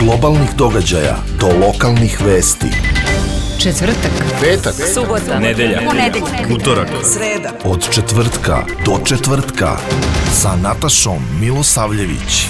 globalnih događaja do lokalnih vesti. Četvrtak, petak, subota, nedelja, utorak, sreda. Od četvrtka do četvrtka sa Natašom Milosavljević.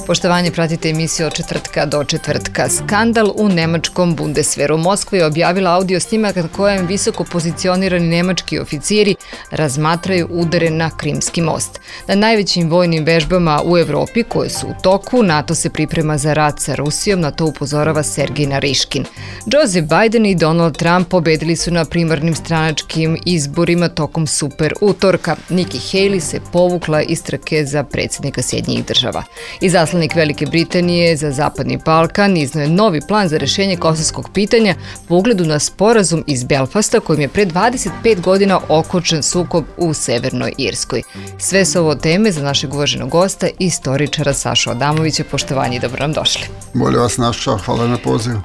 Poštovanje, pratite emisiju od četvrtka do četvrtka. Skandal u nemačkom Bundeswehru. Moskva je objavila audio snimak na kojem visoko pozicionirani nemački oficiri razmatraju udare na Krimski most. Na najvećim vojnim vežbama u Evropi koje su u toku, NATO se priprema za rat sa Rusijom, na to upozorava Sergej Nariškin. Joseph Biden i Donald Trump pobedili su na primarnim stranačkim izborima tokom super utorka. Nikki Haley se povukla iz trke za predsjednika Sjedinjenih država. Izaslanik Velike Britanije za Zapadni Balkan izneo je novi plan za rešenje kosovskog pitanja po ugledu na sporazum iz Belfasta kojim je pre 25 godina okončan sukob u Severnoj Irskoj. Sve su ovo teme za našeg uvaženog gosta, istoričara Sašu Adamovića. Poštovanje i dobro nam došli. Bolje vas našao, hvala na pozivu.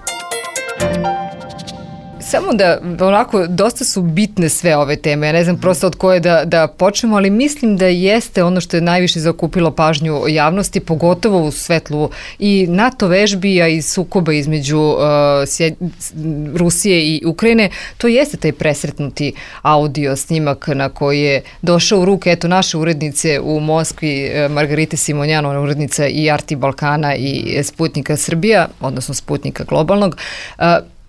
Samo da, onako, dosta su bitne sve ove teme. Ja ne znam prosto od koje da počnemo, ali mislim da jeste ono što je najviše zaokupilo pažnju javnosti, pogotovo u svetlu i NATO vežbi, a i sukoba između Rusije i Ukrajine. To jeste taj presretnuti audio snimak na koji je došao u ruke, eto, naše urednice u Moskvi, Margarite Simonjano, urednica i Arti Balkana i Sputnika Srbija, odnosno Sputnika globalnog.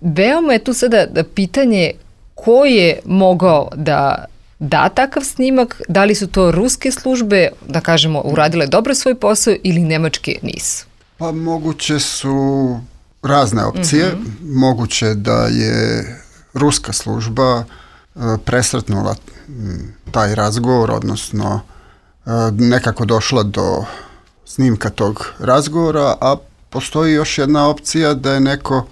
Veoma je tu sada pitanje ko je mogao da da takav snimak, da li su to ruske službe, da kažemo, uradile dobro svoj posao ili nemačke nisu? Pa moguće su razne opcije. Moguće da je ruska služba presretnula taj razgovor, odnosno nekako došla do snimka tog razgovora, a postoji još jedna opcija da je neko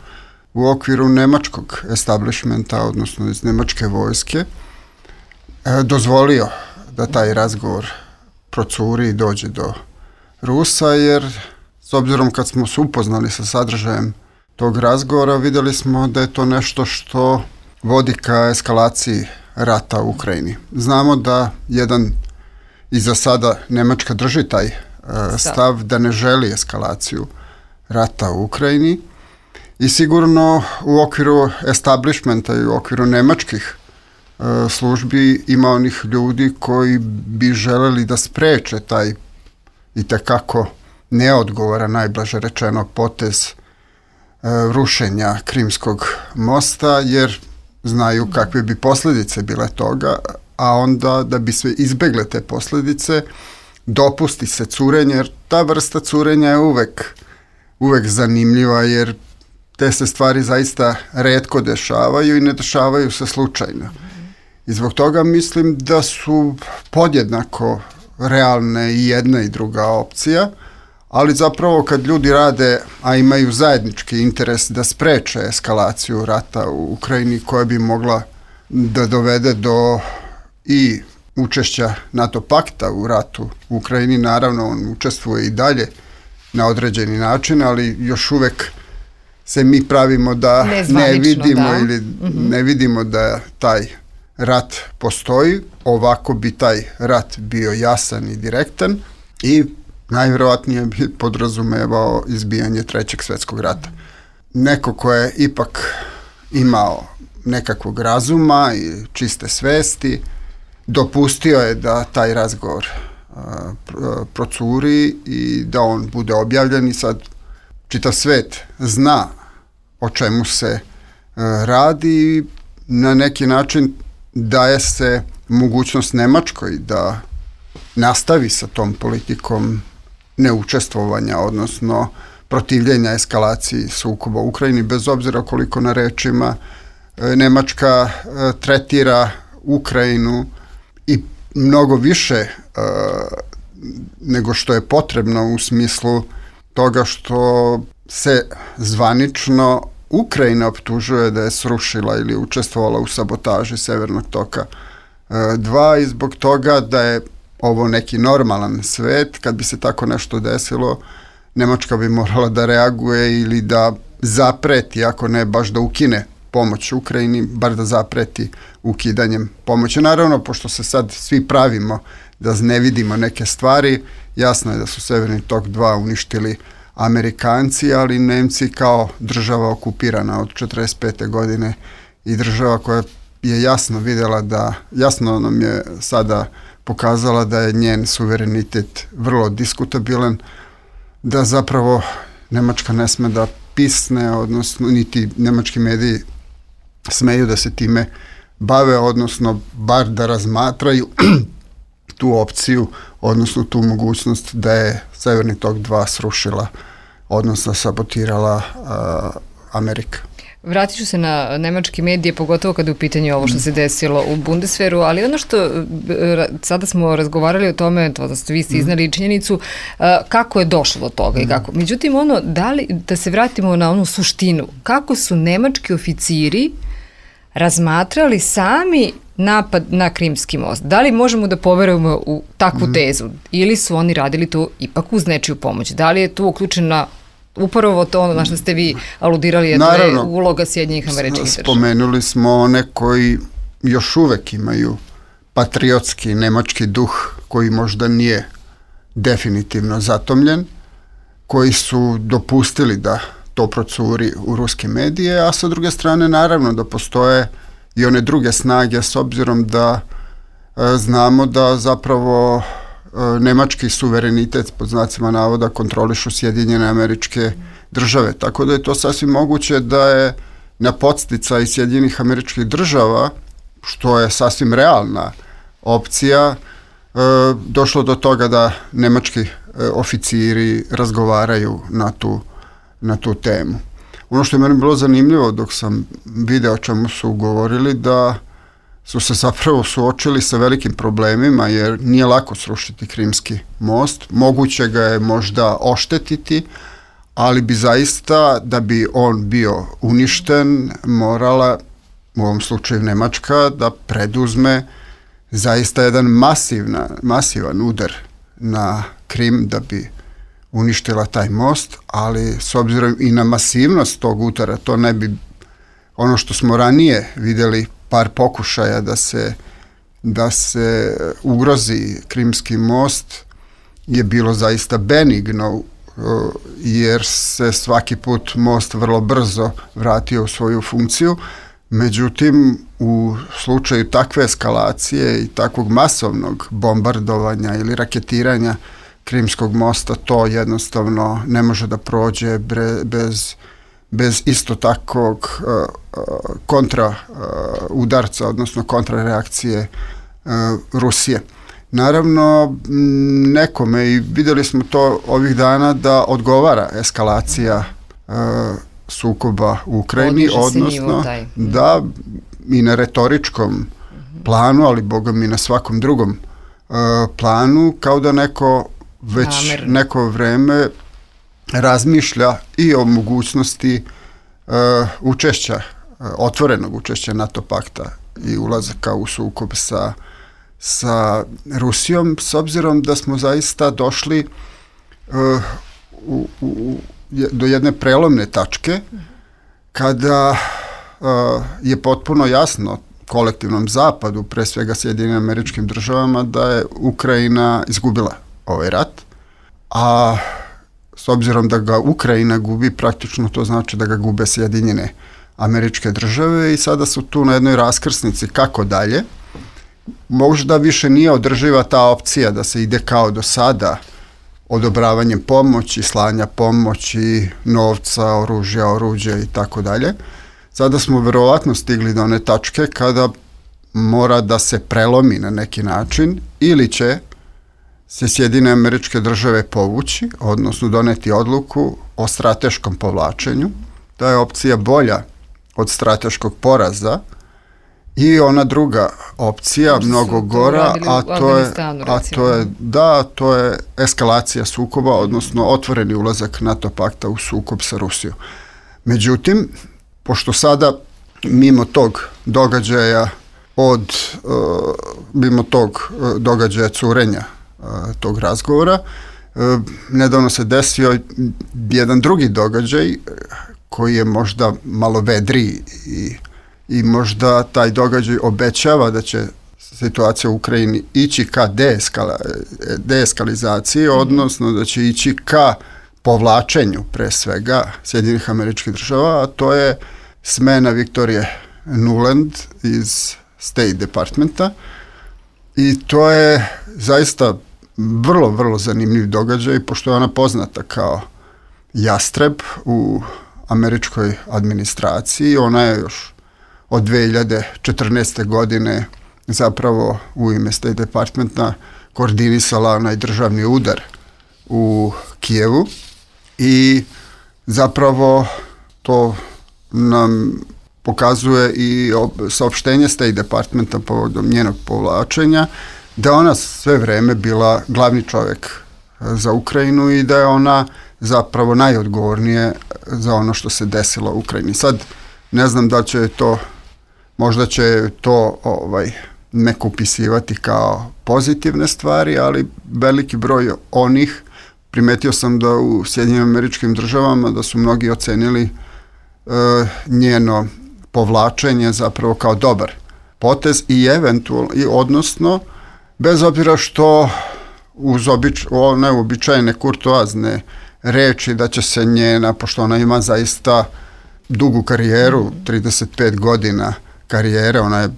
u okviru nemačkog establishmenta, odnosno iz nemačke vojske, dozvolio da taj razgovor procuri i dođe do Rusa, jer s obzirom kad smo se upoznali sa sadržajem tog razgovora, vidjeli smo da je to nešto što vodi ka eskalaciji rata u Ukrajini. Znamo da i za sada Nemačka drži taj stav da ne želi eskalaciju rata u Ukrajini, i sigurno u okviru establishmenta i u okviru nemačkih službi ima onih ljudi koji bi želeli da spreče taj itekako neodgovoran, najblaže rečeno, potez rušenja Krimskog mosta, jer znaju kakve bi posljedice bile toga, a onda da bi se izbegle te posljedice dopusti se curenje, jer ta vrsta curenja je uvek zanimljiva, jer te se stvari zaista retko dešavaju i ne dešavaju se slučajno. I zbog toga mislim da su podjednako realne i jedna i druga opcija, ali zapravo kad ljudi rade, a imaju zajednički interes da spreče eskalaciju rata u Ukrajini koja bi mogla da dovede do i učešća NATO pakta u ratu u Ukrajini, naravno on učestvuje i dalje na određeni način, ali još uvek se mi pravimo da ne vidimo ili ne vidimo da taj rat postoji. Ovako bi taj rat bio jasan i direktan i najvjerojatnije bi podrazumevao izbijanje Trećeg svjetskog rata. Neko ko je ipak imao nekakvog razuma i čiste svesti, dopustio je da taj razgovor procuri i da on bude objavljen, i sad čitav svet zna o čemu se radi. Na neki način daje se mogućnost Nemačkoj da nastavi sa tom politikom neučestvovanja, odnosno protivljenja eskalaciji sukoba u Ukrajini, bez obzira koliko na rečima Nemačka tretira Ukrajinu i mnogo više nego što je potrebno, u smislu toga što se zvanično Ukrajina optužuje da je srušila ili učestvovala u sabotaži Severnog toka 2, i zbog toga da je ovo neki normalan svet. Kad bi se tako nešto desilo, Nemačka bi morala da reaguje ili da zapreti, ako ne baš da ukine pomoć Ukrajini, bar da zapreti ukidanjem pomoći. Naravno, pošto se sad svi pravimo da ne vidimo neke stvari, jasno je da su Severni tok 2 uništili Amerikanci, ali Nemci kao država okupirana od 1945. godine i država koja je jasno vidjela jasno nam je sada pokazala da je njen suverenitet vrlo diskutabilan, da zapravo Nemačka ne sme da pisne, odnosno niti nemački mediji smeju da se time bave, odnosno bar da razmatraju tu opciju, odnosno tu mogućnost da je Severni tok 2 srušila, odnosno sabotirala Amerika. Vratit ću se na nemačke medije, pogotovo kada je u pitanju ovo što se desilo u Bundeswehru, ali ono što sada smo razgovarali o tome, to da ste vi iznali činjenicu, kako je došlo do toga i kako. Međutim, da se vratimo na onu suštinu, kako su nemački oficiri razmatrali sami napad na Krimski most? Da li možemo da poverujemo u takvu tezu ili su oni radili to ipak uz nečiju pomoć? Da li je tu uključena upravo to na što ste vi aludirali, to je uloga Sjedinjenih Američkih Država? Spomenuli smo one koji još uvek imaju patriotski nemački duh, koji možda nije definitivno zatomljen, koji su dopustili da to procuri u ruske medije, a sa druge strane naravno da postoje i one druge snage, s obzirom da znamo da zapravo nemački suverenitet pod znacima navoda kontrolišu Sjedinjene Američke Države, tako da je to sasvim moguće da je na podsticaj Sjedinjenih Američkih Država, što je sasvim realna opcija, došlo do toga da nemački oficiri razgovaraju na tu temu. Ono što je meni bilo zanimljivo dok sam video o čemu su govorili, da su se zapravo suočili sa velikim problemima, jer nije lako srušiti Krimski most, moguće ga je možda oštetiti, ali bi zaista, da bi on bio uništen, morala, u ovom slučaju Nemačka, da preduzme zaista jedan masivan udar na Krim da bi uništila taj most, ali s obzirom i na masivnost tog udara, to ne bi, ono što smo ranije vidjeli, par pokušaja da se ugrozi Krimski most, je bilo zaista benigno, jer se svaki put most vrlo brzo vratio u svoju funkciju. Međutim, u slučaju takve eskalacije i takvog masovnog bombardovanja ili raketiranja Krimskog mosta, to jednostavno ne može da prođe bez isto takvog kontra udarca, odnosno kontrareakcije Rusije. Naravno, nekome, i vidjeli smo to ovih dana, da odgovara eskalacija sukoba u Ukrajini, odnosno da i na retoričkom planu, ali bogom i na svakom drugom planu, kao da neko već neko vreme razmišlja i o mogućnosti učešća, otvorenog učešća NATO pakta i ulazaka u sukob sa Rusijom, s obzirom da smo zaista došli do jedne prelomne tačke kada je potpuno jasno kolektivnom zapadu, pre svega Sjedinjenim Američkim Državama, da je Ukrajina izgubila ovaj rat, a s obzirom da ga Ukrajina gubi, praktično to znači da ga gube Sjedinjene Američke Države, i sada su tu na jednoj raskrsnici kako dalje. Možda više nije održiva ta opcija da se ide kao do sada, odobravanjem pomoći, slanja pomoći, novca, oruđa i tako dalje. Sada smo verovatno stigli do one tačke kada mora da se prelomi na neki način, ili će se Sjedinjene Američke Države povući, odnosno doneti odluku o strateškom povlačenju. Ta je opcija bolja od strateškog poraza, i ona druga opcija, mnogo gora, to je eskalacija sukoba, odnosno otvoreni ulazak NATO pakta u sukob sa Rusijom. Međutim, pošto sada mimo tog događaja curenja tog razgovora, nedavno se desio jedan drugi događaj koji je možda malo vedriji i možda taj događaj obećava da će situacija u Ukrajini ići ka deeskalizaciji, odnosno da će ići ka povlačenju pre svega Sjedinjenih Američkih Država, a to je smena Viktorije Nuland iz State Departmenta i to je zaista vrlo, vrlo zanimljiv događaj, pošto je ona poznata kao jastreb u američkoj administraciji. Ona je još od 2014. godine zapravo u ime State Departmenta koordinisala onaj državni udar u Kijevu i zapravo to nam pokazuje i saopštenje State Departmenta povodom njenog povlačenja, da ona sve vreme bila glavni čovjek za Ukrajinu i da je ona zapravo najodgovornije za ono što se desilo u Ukrajini. Sad ne znam da će to, možda će to neko upisivati kao pozitivne stvari, ali veliki broj onih, primetio sam da u Sjedinjenim Američkim Državama da su mnogi ocenili njeno povlačenje zapravo kao dobar potez i eventualno, odnosno bez obzira što uz neuobičajene kurtoazne reči da će se njena, pošto ona ima zaista dugu karijeru, 35 godina karijere, ona je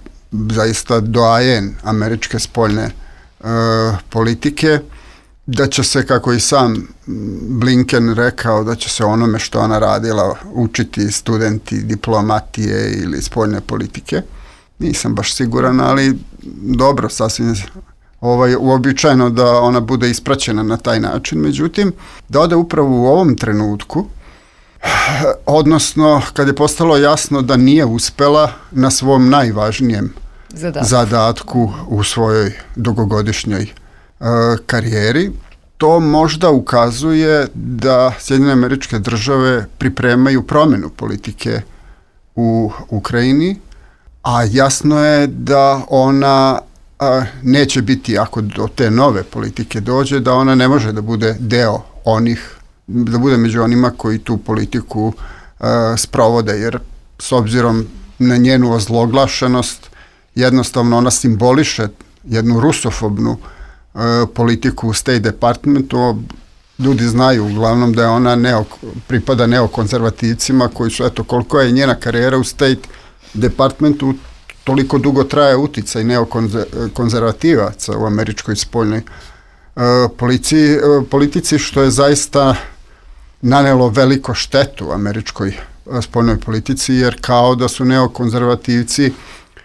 zaista doajen američke spoljne politike, da će se, kako i sam Blinken rekao, da će se onome što ona radila učiti studenti diplomatije ili spoljne politike. Nisam baš siguran, ali dobro, sasvim uobičajeno da ona bude ispraćena na taj način. Međutim, da ode upravo u ovom trenutku, odnosno kad je postalo jasno da nije uspela na svom najvažnijem zadatku u svojoj dugogodišnjoj karijeri, to možda ukazuje da Sjedinjene Američke Države pripremaju promjenu politike u Ukrajini, a jasno je da ona neće biti, ako do te nove politike dođe, da ona ne može da bude deo onih, da bude među onima koji tu politiku sprovode, jer s obzirom na njenu ozloglašenost, jednostavno ona simboliše jednu rusofobnu politiku u State Departmentu. Ljudi znaju uglavnom da je ona pripada neokonzervativcima koji su, eto, koliko je njena karijera u State Departmentu, toliko dugo traje uticaj neokonzervativaca u američkoj spoljnoj politici, što je zaista nanelo veliko štetu američkoj spoljnoj politici, jer kao da su neokonzervativci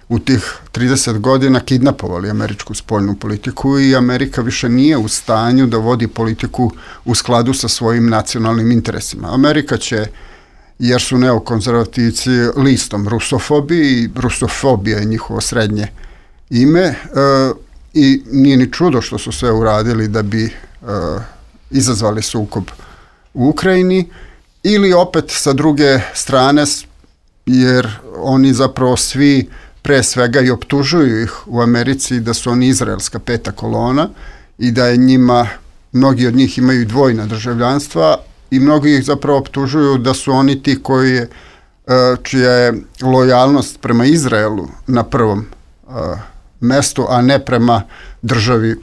u tih 30 godina kidnapovali američku spoljnu politiku i Amerika više nije u stanju da vodi politiku u skladu sa svojim nacionalnim interesima. Amerika će, jer su neokonzervativci listom rusofobi i rusofobija je njihovo srednje ime i nije ni čudo što su sve uradili da bi izazvali sukob u Ukrajini, ili opet sa druge strane, jer oni zapravo svi pre svega i optužuju ih u Americi da su oni izraelska peta kolona i da je njima, mnogi od njih imaju dvojna državljanstva i mnogi ih zapravo optužuju da su oni ti čija je lojalnost prema Izraelu na prvom mestu, a ne prema državi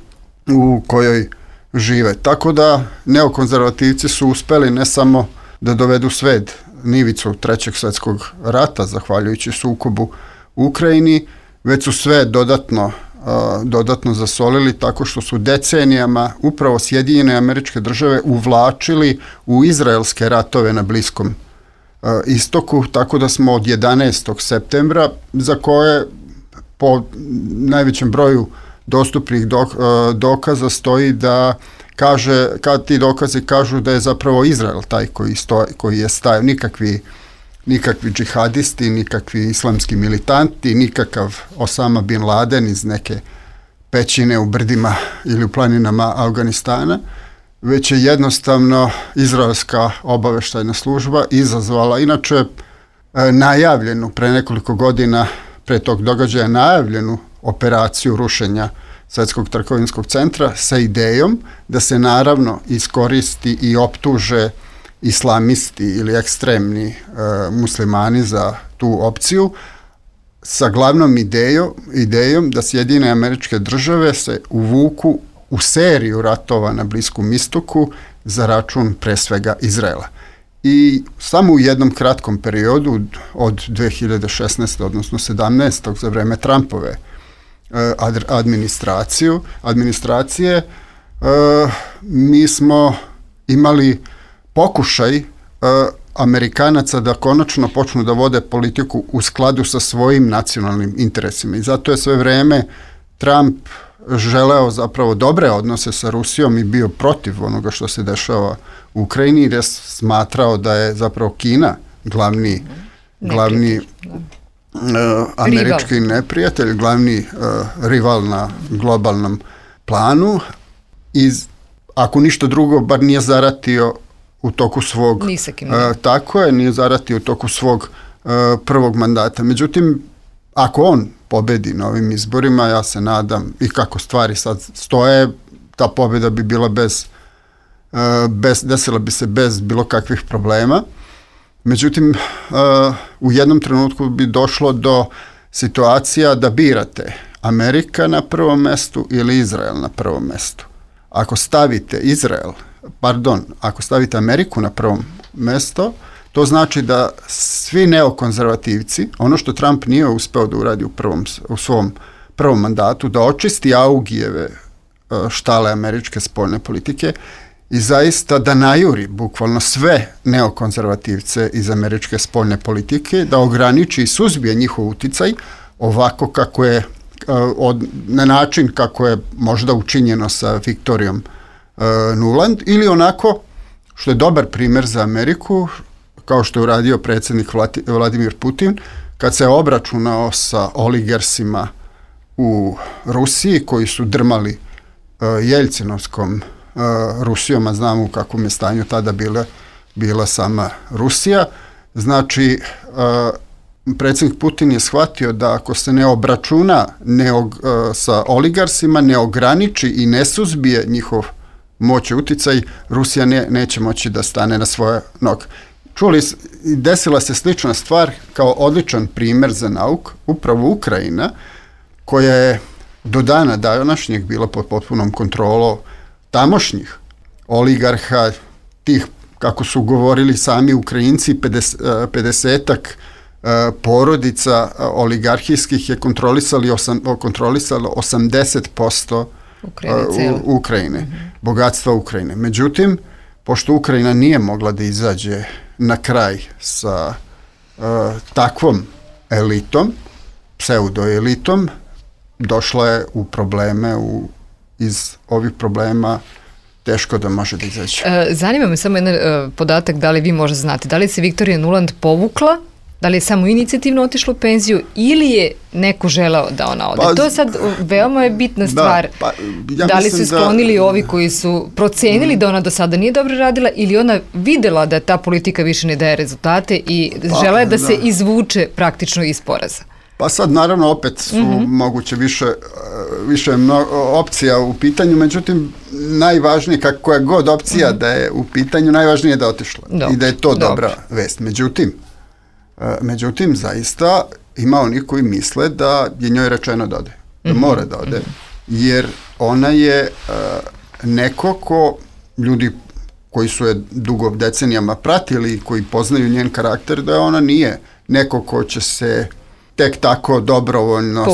u kojoj žive. Tako da neokonzervativci su uspeli ne samo da dovedu svet na ivicu Trećeg svjetskog rata, zahvaljujući sukobu u Ukrajini, već su sve dodatno zasolili tako što su decenijama upravo Sjedinjene Američke Države uvlačili u izraelske ratove na Bliskom istoku, tako da smo od 11. septembra, za koje po najvećem broju dostupnih dokaza stoji da kad ti dokazi kažu da je zapravo Izrael taj koji je stajao, nikakvi džihadisti, nikakvi islamski militanti, nikakav Osama bin Laden iz neke pećine u brdima ili u planinama Afganistana, već je jednostavno izraelska obaveštajna služba izazvala, inače najavljenu pre nekoliko godina, pre tog događaja najavljenu operaciju rušenja Svjetskog trgovinskog centra sa idejom da se naravno iskoristi i optuže islamisti ili ekstremni muslimani za tu opciju, sa glavnom idejom da Sjedinjene Američke Države se uvuku u seriju ratova na Bliskom istoku za račun pre svega Izraela. I samo u jednom kratkom periodu od 2016. odnosno 17. za vreme Trumpove administracije mi smo imali pokušaj Amerikanaca da konačno počnu da vode politiku u skladu sa svojim nacionalnim interesima. I zato je sve vreme Trump želeo zapravo dobre odnose sa Rusijom i bio protiv onoga što se dešava u Ukrajini, jer je smatrao da je zapravo Kina glavni američki neprijatelj, glavni rival na globalnom planu i ako ništa drugo, bar nije zaratio u toku svog nije zaratio u toku svog prvog mandata. Međutim, ako on pobedi na ovim izborima, ja se nadam, i kako stvari sad stoje, ta pobjeda bi bila desila bi se bez bilo kakvih problema. Međutim, u jednom trenutku bi došlo do situacija da birate Amerika na prvom mestu ili Izrael na prvom mestu. Ako stavite ako stavite Ameriku na prvom mesto, to znači da svi neokonzervativci, ono što Trump nije uspeo da uradi u svom prvom mandatu, da očisti Augijeve štale američke spoljne politike i zaista da najuri bukvalno sve neokonzervativce iz američke spoljne politike, da ograniči i suzbije njihov uticaj ovako kako je na način kako je možda učinjeno sa Viktorijom Nuland, ili onako što je dobar primjer za Ameriku, kao što je uradio predsjednik Vladimir Putin, kad se obračunao sa oligarsima u Rusiji koji su drmali Jeljcinovskom Rusijom, a znamo u kakvom je stanju tada bila sama Rusija. Znači, predsjednik Putin je shvatio da ako se ne obračuna sa oligarsima, ne ograniči i ne suzbije njihov moć i uticaj, Rusija neće moći da stane na svoje noge. Desila se slična stvar kao odličan primjer za nauk, upravo Ukrajina, koja je do dana današnjeg bila pod potpunom kontrolom tamošnjih oligarha, tih, kako su govorili sami Ukrajinci, 50-ak porodica oligarhijskih je kontrolisalo 80% Ukrajine, bogatstva Ukrajine. Međutim, pošto Ukrajina nije mogla da izađe na kraj sa takvom elitom, pseudoelitom, došla je u probleme, iz ovih problema teško da može da izađe. Zanima me samo jedan podatak, da li vi možda znate, da li se Viktorija Nuland povukla, da li je samo inicijativno otišla u penziju ili je neko želeo da ona ode? To je sad veoma je bitna stvar. Da li su sklonili ovi koji su procenili da ona do sada nije dobro radila ili ona videla da ta politika više ne daje rezultate i žela je da se izvuče praktično iz poraza? Pa sad naravno opet su moguće više opcija u pitanju, međutim najvažnije, koja god opcija da je u pitanju, najvažnije je da je otišla i da je to dobra vest. Međutim, zaista ima oni koji misle da je njoj rečeno da ode, da mora da ode, jer ona je neko ko ljudi koji su je dugo decenijama pratili i koji poznaju njen karakter, da ona nije neko ko će se tek tako dobrovoljno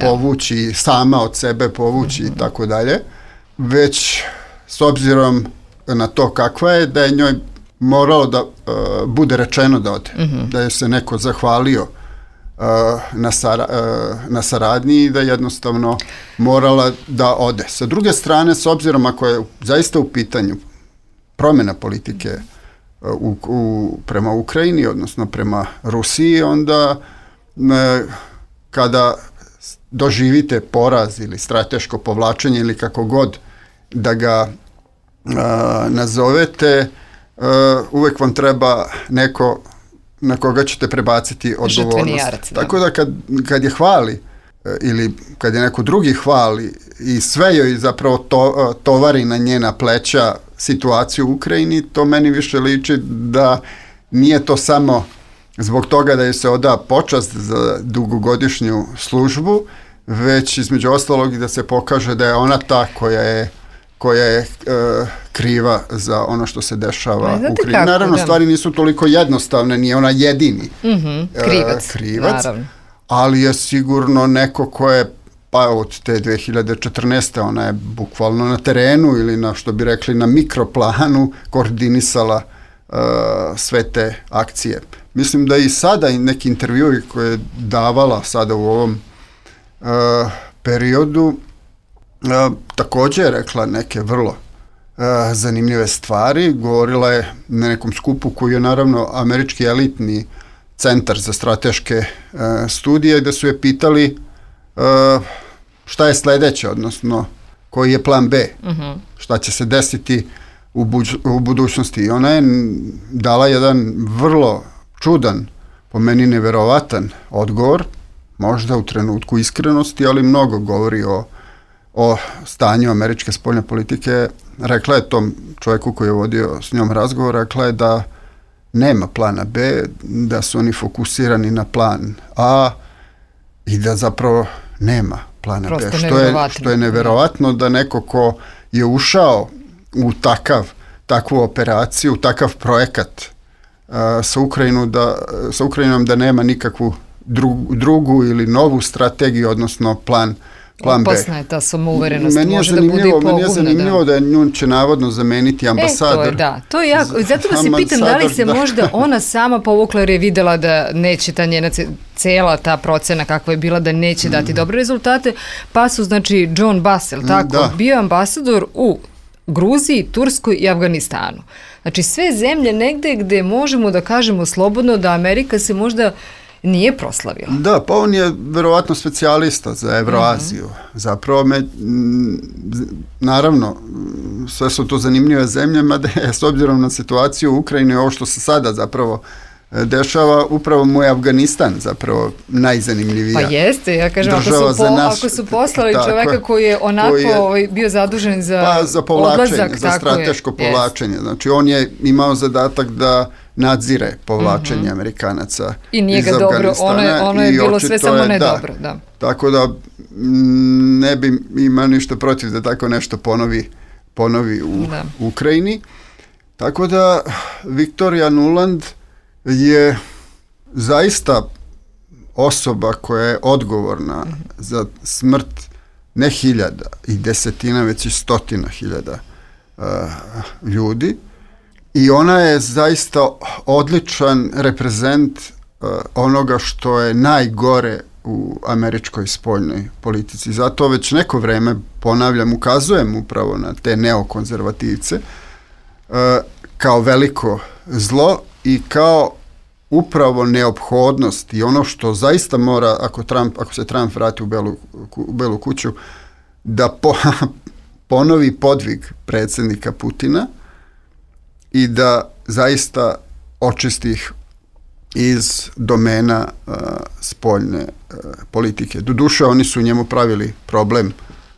povući, sama od sebe povući i tako dalje, već s obzirom na to kakva je, da je njoj moralo da bude rečeno da ode, da je se neko zahvalio na saradnji i da jednostavno morala da ode. Sa druge strane, s obzirom ako je zaista u pitanju promjena politike prema Ukrajini, odnosno prema Rusiji, onda kada doživite poraz ili strateško povlačenje ili kako god da ga nazovete, uvek vam treba neko na koga ćete prebaciti odgovornost. Tako da kad je hvali ili kad je neko drugi hvali i sve joj zapravo tovari na njena pleća situaciju u Ukrajini, to meni više liči da nije to samo zbog toga da joj se oda počast za dugogodišnju službu, već između ostalog i da se pokaže da je ona ta koja je koja je kriva za ono što se dešava u Krimu. Kako, naravno, stvari nisu toliko jednostavne, nije ona jedini krivac, naravno. Ali je sigurno neko ko je, pa od te 2014. ona je bukvalno na terenu ili na, što bi rekli, na mikroplanu koordinisala sve te akcije. Mislim da i sada i neki intervjui koje je davala sada u ovom periodu također je rekla neke vrlo zanimljive stvari. Govorila je na nekom skupu koji je naravno američki elitni centar za strateške studije, gde su je pitali šta je sledeće, odnosno koji je plan B, šta će se desiti u budućnosti. I ona je dala jedan vrlo čudan, po meni neverovatan odgovor, možda u trenutku iskrenosti, ali mnogo govori o stanju američke spoljne politike. Rekla je tom čovjeku koji je vodio s njom razgovor, rekla je da nema plana B, da su oni fokusirani na plan A i da zapravo nema plana B. Što je neverovatno da neko ko je ušao u takvu operaciju, takav projekat sa Ukrajinom da nema nikakvu drugu ili novu strategiju, odnosno plan B. Opasna je ta samouverenost, može da bude i pogubna. Meni je zanimljivo da nju će navodno zameniti ambasador. To je jako. Zato vas se pitam da li se možda ona sama povukla jer je videla da neće ta njena cela ta procena kakva je bila da neće dati dobre rezultate, pa su znači John Bassel bio ambasador u Gruziji, Turskoj i Afganistanu. Znači sve zemlje negde gde možemo da kažemo slobodno da Amerika se možda nije proslavila. Da, pa on je verovatno specijalista za Evroaziju. Zapravo naravno, sve su to zanimljive zemlje, mada je s obzirom na situaciju u Ukrajini, ovo što se sada zapravo dešava, upravo mu je Afganistan zapravo najzanimljivija. Pa jeste, ja kažem, ako su poslali čoveka koji je onako bio zadužen za povlačenje, za strateško povlačenje. Znači, on je imao zadatak da nadzire povlačenje Amerikanaca i nije ga dobro, ono je bilo sve samo ne dobro. Da. Tako da ne bi imao ništa protiv da tako nešto ponovi u Ukrajini. Tako da Victoria Nuland je zaista osoba koja je odgovorna za smrt ne hiljada i desetina, već i stotina hiljada ljudi. I ona je zaista odličan reprezent onoga što je najgore u američkoj spoljnoj politici. Zato već neko vreme, ponavljam, ukazujem upravo na te neokonzervativce kao veliko zlo i kao upravo neophodnost i ono što zaista mora, ako se Trump vrati u Belu kuću, da ponovi podvig predsjednika Putina i da zaista očisti ih iz domena spoljne politike. Doduše, oni su njemu pravili problem,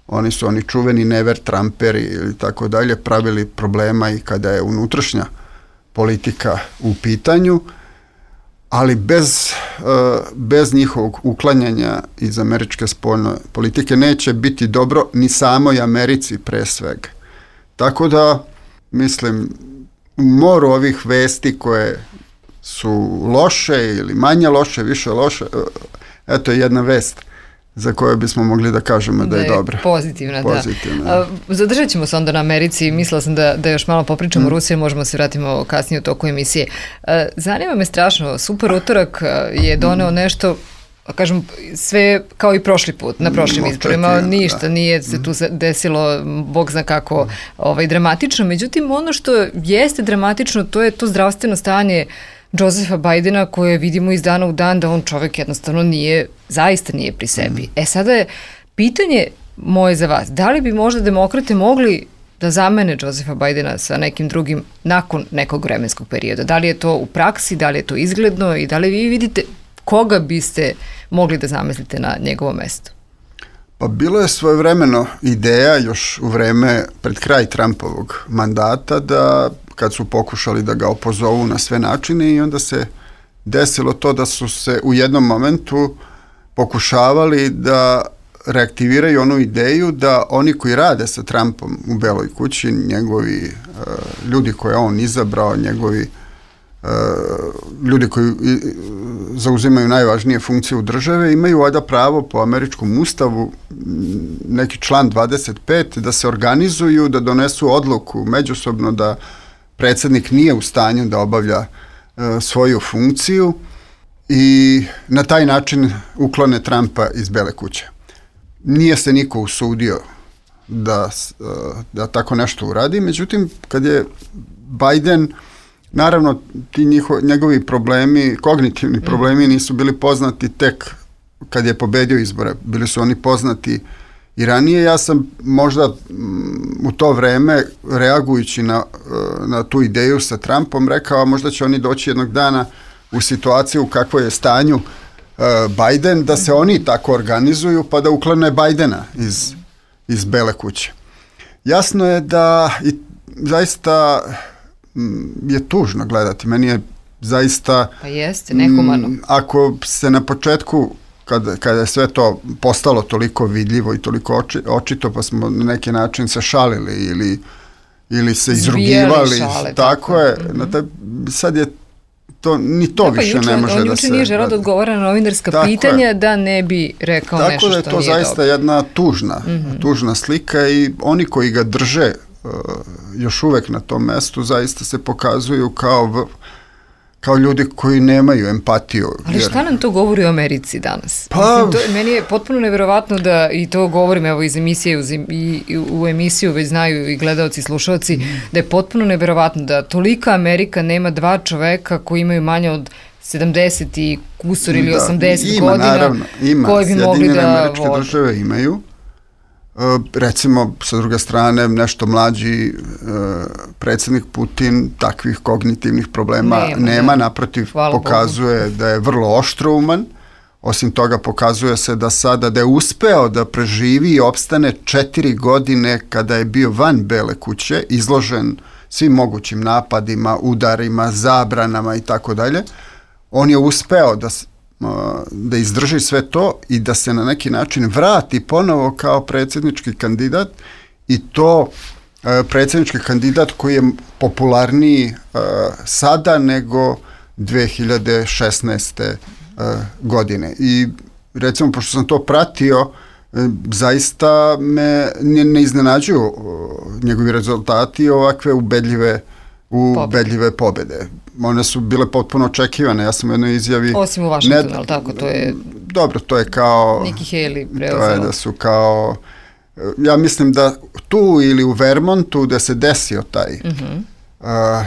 oni čuveni never Trumperi ili tako dalje, pravili problema i kada je unutrašnja politika u pitanju, ali bez njihovog uklanjanja iz američke spoljne politike neće biti dobro ni samoj Americi pre svega. Tako da, mislim, moru ovih vesti koje su loše ili manje loše, više loše, eto je jedna vest za koju bismo mogli da kažemo da je dobra. Pozitivna. Da. Zadržat ćemo se onda na Americi, mislila sam da još malo popričamo o Rusiji, možemo se vratimo kasnije u toku emisije. Zanima me strašno, Super utorak je doneo nešto, kažem, sve kao i prošli put, na prošlim izborima, ništa nije se tu desilo, Bog zna kako dramatično, međutim ono što jeste dramatično, to je to zdravstveno stanje Josepha Bidena koje vidimo iz dana u dan da on čovjek jednostavno zaista nije pri sebi. Sada je pitanje moje za vas, da li bi možda demokrate mogli da zamene Josepha Bidena sa nekim drugim nakon nekog vremenskog perioda? Da li je to u praksi, da li je to izgledno i da li vi vidite koga biste mogli da zamislite na njegovo mesto? Pa bilo je svojevremeno ideja još u vreme pred kraj Trumpovog mandata da kad su pokušali da ga opozovu na sve načine i onda se desilo to da su se u jednom momentu pokušavali da reaktiviraju onu ideju da oni koji rade sa Trumpom u Beloj kući, njegovi ljudi koje on izabrao, njegovi ljudi koji zauzimaju najvažnije funkcije u države, imaju valjda pravo po američkom ustavu, neki član 25, da se organizuju, da donesu odluku međusobno da predsjednik nije u stanju da obavlja svoju funkciju i na taj način uklone Trumpa iz Bele kuće. Nije se niko usudio da tako nešto uradi, međutim, kad je Biden, naravno, ti njegovi problemi, kognitivni problemi nisu bili poznati tek kad je pobedio izbore. Bili su oni poznati i ranije. Ja sam možda u to vreme, reagujući na tu ideju sa Trumpom, rekao, možda će oni doći jednog dana u situaciju u kakvoj je stanju Biden, da se oni tako organizuju pa da uklone Bidena iz Bele kuće. Jasno je da i zaista je tužno gledati. Meni je zaista... Pa jeste, nehumano. Ako se na početku, kada je sve to postalo toliko vidljivo i toliko očito, pa smo na neki način se šalili ili se izrugivali. Šale, tako je. Sad je ni to više ne može da se... On juče nije želeo da odgovara na novinarska pitanja da ne bi rekao nešto što nije dobro. Tako da je to zaista jedna tužna slika i oni koji ga drže još uvek na tom mestu zaista se pokazuju kao ljudi koji nemaju empatiju. Ali šta nam to govori o Americi danas? Mislim, meni je potpuno neverovatno da, i to govorim evo iz emisije u emisiju već znaju i gledalci i slušalci, da je potpuno neverovatno da tolika Amerika nema dva čoveka koji imaju manje od 70 i kusur ili 80 godina, naravno, koji bi mogli da Američke države imaju. Recimo, sa druge strane, nešto mlađi predsjednik Putin takvih kognitivnih problema nema, naprotiv, pokazuje da je vrlo oštrouman. Osim toga, pokazuje se da sada da je uspeo da preživi i opstane 4 godine kada je bio van Bele kuće, izložen svim mogućim napadima, udarima, zabranama i tako dalje. On je uspeo da izdrži sve to i da se na neki način vrati ponovo kao predsjednički kandidat i to predsjednički kandidat koji je popularniji sada nego 2016. Godine. I recimo, pošto sam to pratio, zaista me ne iznenađuju njegovi rezultati ovakve ubedljive pobjede. One su bile potpuno očekivane. Ja sam u jednoj izjavi... Osim u Washingtonu, ali tako, to je... Dobro, to je kao... Nikki Haley preuzela. To je da su kao... Ja mislim da tu ili u Vermontu da se desio taj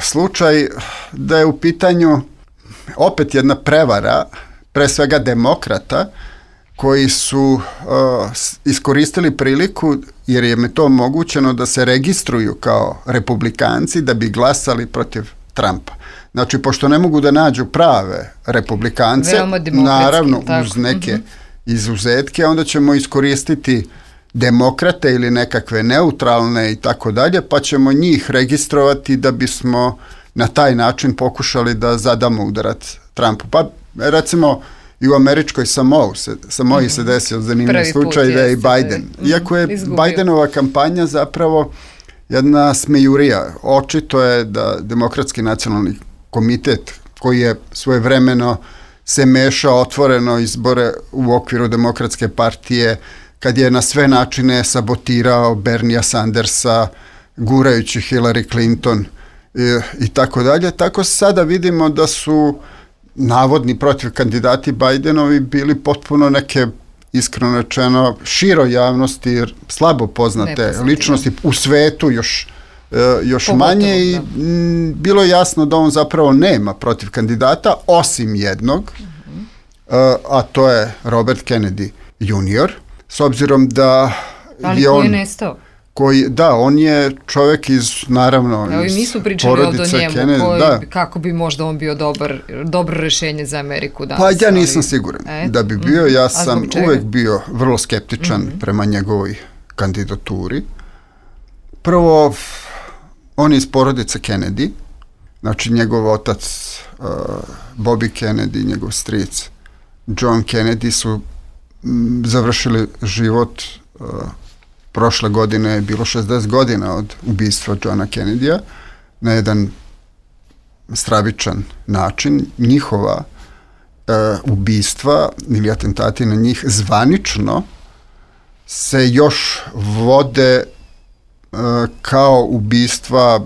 slučaj, da je u pitanju opet jedna prevara, pre svega demokrata, koji su iskoristili priliku, jer je to omogućeno da se registruju kao republikanci da bi glasali protiv Trumpa. Znači, pošto ne mogu da nađu prave republikance, naravno uz neke izuzetke, onda ćemo iskoristiti demokrate ili nekakve neutralne i tako dalje, pa ćemo njih registrovati da bismo na taj način pokušali da zadamo udarac Trumpu. Pa recimo i u američkoj Samoji se desio zanimljiv slučaj da je i Biden. Iako je Bidenova kampanja zapravo jedna smejurija. Očito je da Demokratski nacionalni komitet, koji je svojevremeno se mešao otvoreno izbore u okviru Demokratske partije, kad je na sve načine sabotirao Bernija Sandersa, gurajući Hillary Clinton i tako dalje. Tako sada vidimo da su navodni protiv kandidati Bidenovi bili potpuno neke, iskreno rečeno, široj javnosti, jer slabo poznate ličnosti u svetu još manje i bilo je jasno da on zapravo nema protiv kandidata, osim jednog, a to je Robert Kennedy Jr., s obzirom da ali koji je nestao? On je čovjek iz, naravno, iz nisu pričali ovdje o njemu, Kennedy, kako bi možda on bio dobro rešenje za Ameriku danas. Pa ja nisam siguran da bi bio, ja sam uvek bio vrlo skeptičan prema njegovoj kandidaturi. Prvo, on je iz porodice Kennedy, znači njegov otac Bobby Kennedy, njegov stric John Kennedy su završili život. Prošle godine je bilo 60 godina od ubistva Johna Kennedya na jedan stravičan način. Njihova ubistva ili atentati na njih zvanično se još vode kao ubistva,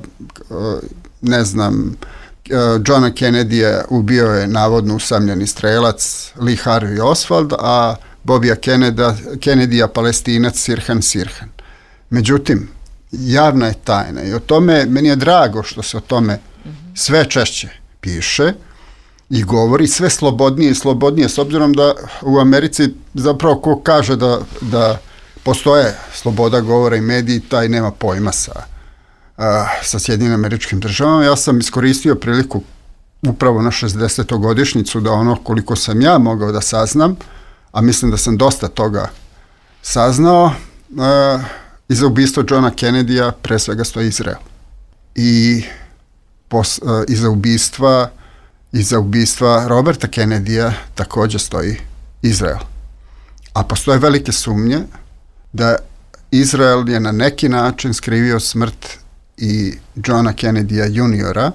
Johna Kennedya ubio je navodno usamljeni strelac Lee Harvey Oswald, a Bobija Kennedya Palestinac Sirhan Sirhan. Međutim, javna je tajna i o tome, meni je drago što se o tome sve češće piše i govori sve slobodnije i slobodnije, s obzirom da u Americi zapravo ko kaže da postoje sloboda govora i mediji, taj nema pojma sa Sjedinjenim Američkim Državama. Ja sam iskoristio priliku upravo na 60. godišnjicu da ono koliko sam ja mogao da saznam, a mislim da sam dosta toga saznao, iza ubistva Johna Kennedya pre svega stoji Izrael. I iza ubistva Roberta Kennedya također stoji Izrael. A postoje velike sumnje da Izrael je na neki način skrivio smrt i Johna Kennedya juniora,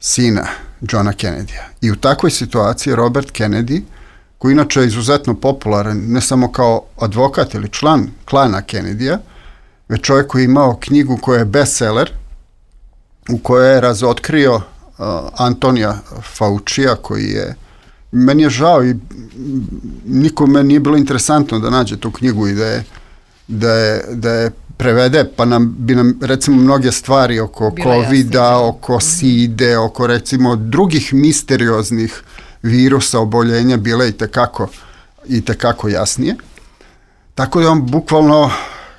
sina Johna Kennedya. I u takvoj situaciji Robert Kennedy, koji inače je izuzetno popularan, ne samo kao advokat ili član klana Kennedya, već čovjek koji je imao knjigu koja je bestseller, u kojoj je razotkrio Antonija Faucija, koji je, meni je žao i nikome nije bilo interesantno da nađe tu knjigu i da je prevede, pa bi nam recimo mnoge stvari oko COVID-a, oko SIDE, oko recimo drugih misterioznih virusa, oboljenja bile i tekako jasnije. Tako da on bukvalno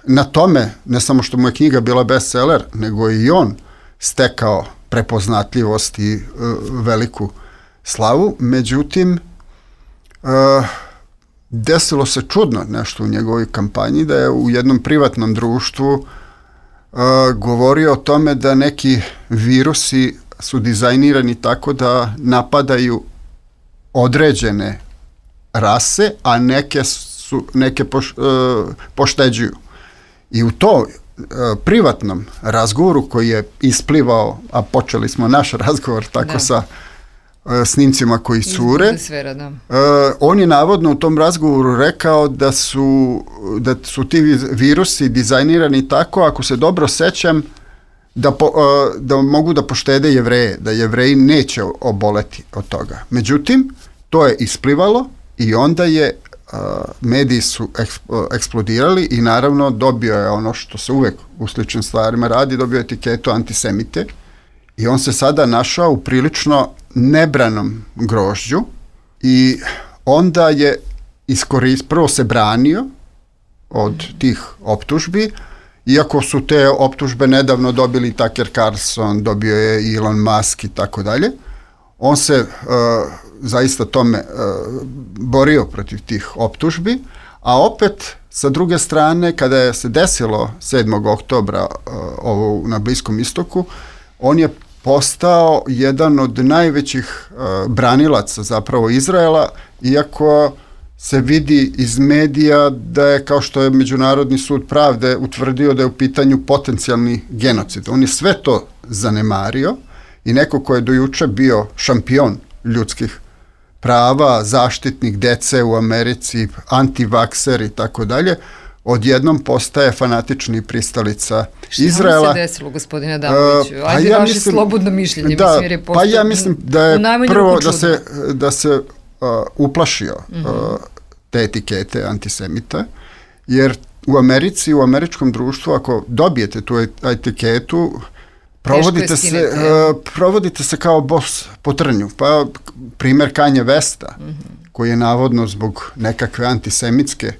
na tome, ne samo što mu je knjiga bila bestseller, nego i on stekao prepoznatljivost i veliku slavu. Međutim, desilo se čudno nešto u njegovoj kampanji, da je u jednom privatnom društvu govorio o tome da neki virusi su dizajnirani tako da napadaju određene rase, a neke pošteđuju. I u to privatnom razgovoru koji je isplivao, a počeli smo naš razgovor tako sa snimcima koji cure, on je navodno u tom razgovoru rekao da su ti virusi dizajnirani tako, ako se dobro sećam, da mogu da poštede Jevreje, da Jevreji neće oboleti od toga. Međutim, to je isplivalo i onda je mediji su eksplodirali i naravno dobio je ono što se uvek u sličnim stvarima radi, dobio etiketu antisemite i on se sada našao u prilično nebranom grožđu i onda je prvo se branio od tih optužbi, iako su te optužbe nedavno dobili Tucker Carlson, dobio je Elon Musk i tako dalje. On se zaista tome borio protiv tih optužbi, a opet sa druge strane, kada je se desilo 7. oktobra ovo na Bliskom istoku, on je postao jedan od najvećih branilaca zapravo Izraela, iako se vidi iz medija da je, kao što je Međunarodni sud pravde utvrdio, da je u pitanju potencijalni genocid. On je sve to zanemario i neko ko je do juče bio šampion ljudskih prava, zaštitnik dece u Americi, antivakser i tako dalje, odjednom postaje fanatični pristalica Izraela. Šta vam se desilo, gospodine Adamoviću? Ajde vaše slobodno mišljenje. Ja mislim da je prvo da se uplašio te etikete antisemita, jer u Americi, u američkom društvu, ako dobijete tu etiketu, provodite se kao bos po trnju. Pa primjer Kanje Westa, koji je navodno zbog nekakve antisemitske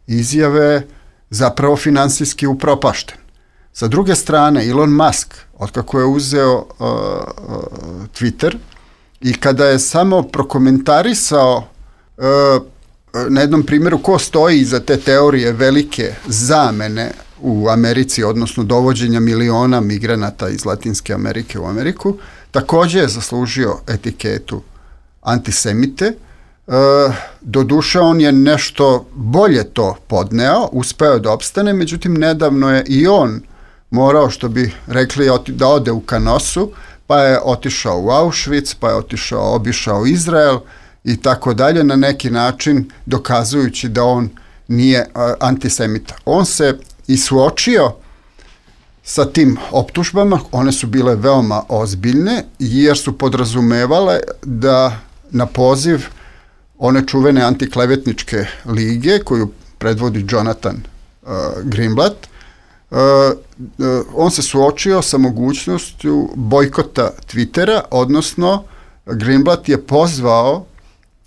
izjave zapravo finansijski upropašten. Sa druge strane, Elon Musk, otkako je uzeo Twitter i kada je samo prokomentarisao na jednom primjeru ko stoji iza te teorije velike zamene u Americi, odnosno dovođenja miliona migranata iz Latinske Amerike u Ameriku, također je zaslužio etiketu antisemite. Doduše on je nešto bolje to podneo, uspeo da opstane, međutim nedavno je i on morao, što bi rekli, da ode u Kanosu, pa je otišao u Auschwitz, pa je obišao Izrael i tako dalje, na neki način dokazujući da on nije antisemita. On se i suočio sa tim optužbama, one su bile veoma ozbiljne, jer su podrazumevale da na poziv one čuvene antiklevetničke lige, koju predvodi Jonathan Greenblatt, on se suočio sa mogućnošću bojkota Twittera, odnosno Greenblatt je pozvao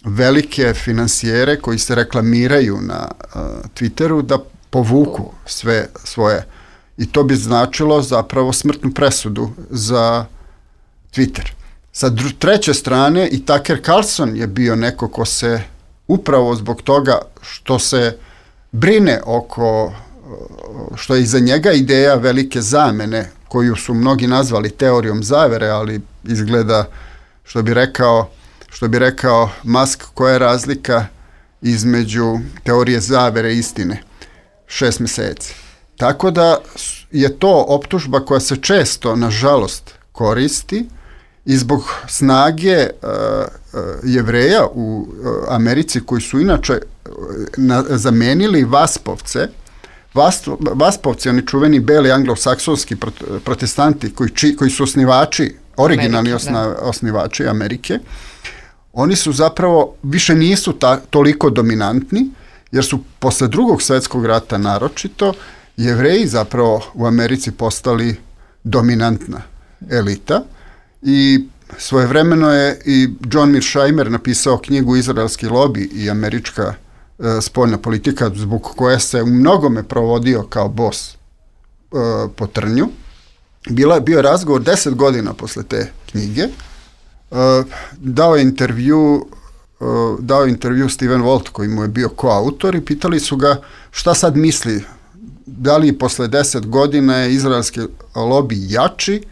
velike finansijere koji se reklamiraju na Twitteru da povuku sve svoje, i to bi značilo zapravo smrtnu presudu za Twitter. Sa treće strane i Tucker Carlson je bio neko ko se upravo zbog toga što se brine oko, što je iza njega ideja velike zamene, koju su mnogi nazvali teorijom zavere, ali izgleda, što bi rekao Musk, koja je razlika između teorije zavere i istine? 6 meseci. Tako da je to optužba koja se često, nažalost, koristi i zbog snage Jevreja u Americi, koji su inače zamenili Vaspovce. Vaspovci, oni čuveni beli anglosaksonski protestanti koji su osnivači, originalni osnivači Amerike, oni su zapravo, više nisu toliko dominantni, jer su posle Drugog svjetskog rata naročito Jevreji zapravo u Americi postali dominantna elita, i svojevremeno je i John Mearsheimer napisao knjigu Izraelski lobi i američka spoljna politika, zbog koje se u mnogome provodio kao bos po trnju. Bio je razgovor 10 godina posle te knjige. Dao je intervju Steven Walt, koji mu je bio koautor, i pitali su ga šta sad misli, da li posle 10 godina je izraelski lobi jači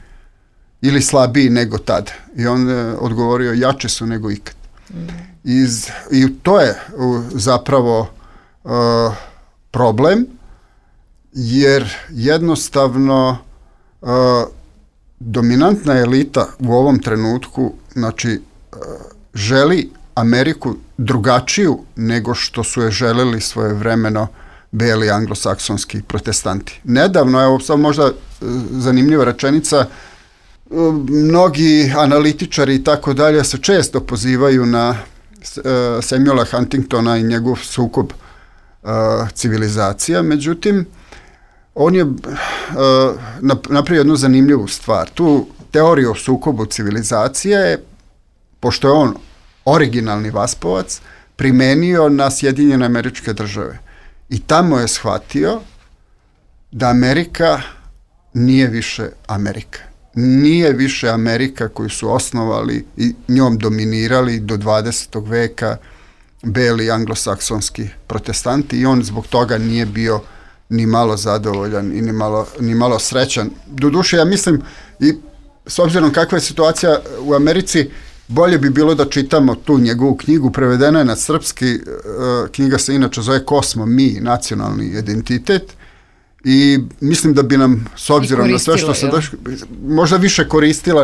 ili slabiji nego tad. I on je odgovorio, jači su nego ikad. I to je zapravo problem, jer jednostavno dominantna elita u ovom trenutku, znači, želi Ameriku drugačiju nego što su je želeli svojevremeno beli anglosaksonski protestanti. Nedavno, evo sad možda zanimljiva rečenica, mnogi analitičari i tako dalje se često pozivaju na Samuela Huntingtona i njegov sukob civilizacija, međutim, on je napravio jednu zanimljivu stvar. Tu teoriju o sukobu civilizacije je, pošto je on originalni Vaspovac, primenio na Sjedinjene Američke Države. I tamo je shvatio da Amerika nije više Amerika. Nije više Amerika koju su osnovali i njom dominirali do 20. veka beli anglosaksonski protestanti, i on zbog toga nije bio ni malo zadovoljan i ni malo srećan. Doduše, ja mislim, i s obzirom kakva je situacija u Americi, bolje bi bilo da čitamo tu njegovu knjigu, prevedena je na srpski, knjiga se inače zove Ko smo mi, nacionalni identitet, i mislim da bi nam, s obzirom na sve što se možda više koristila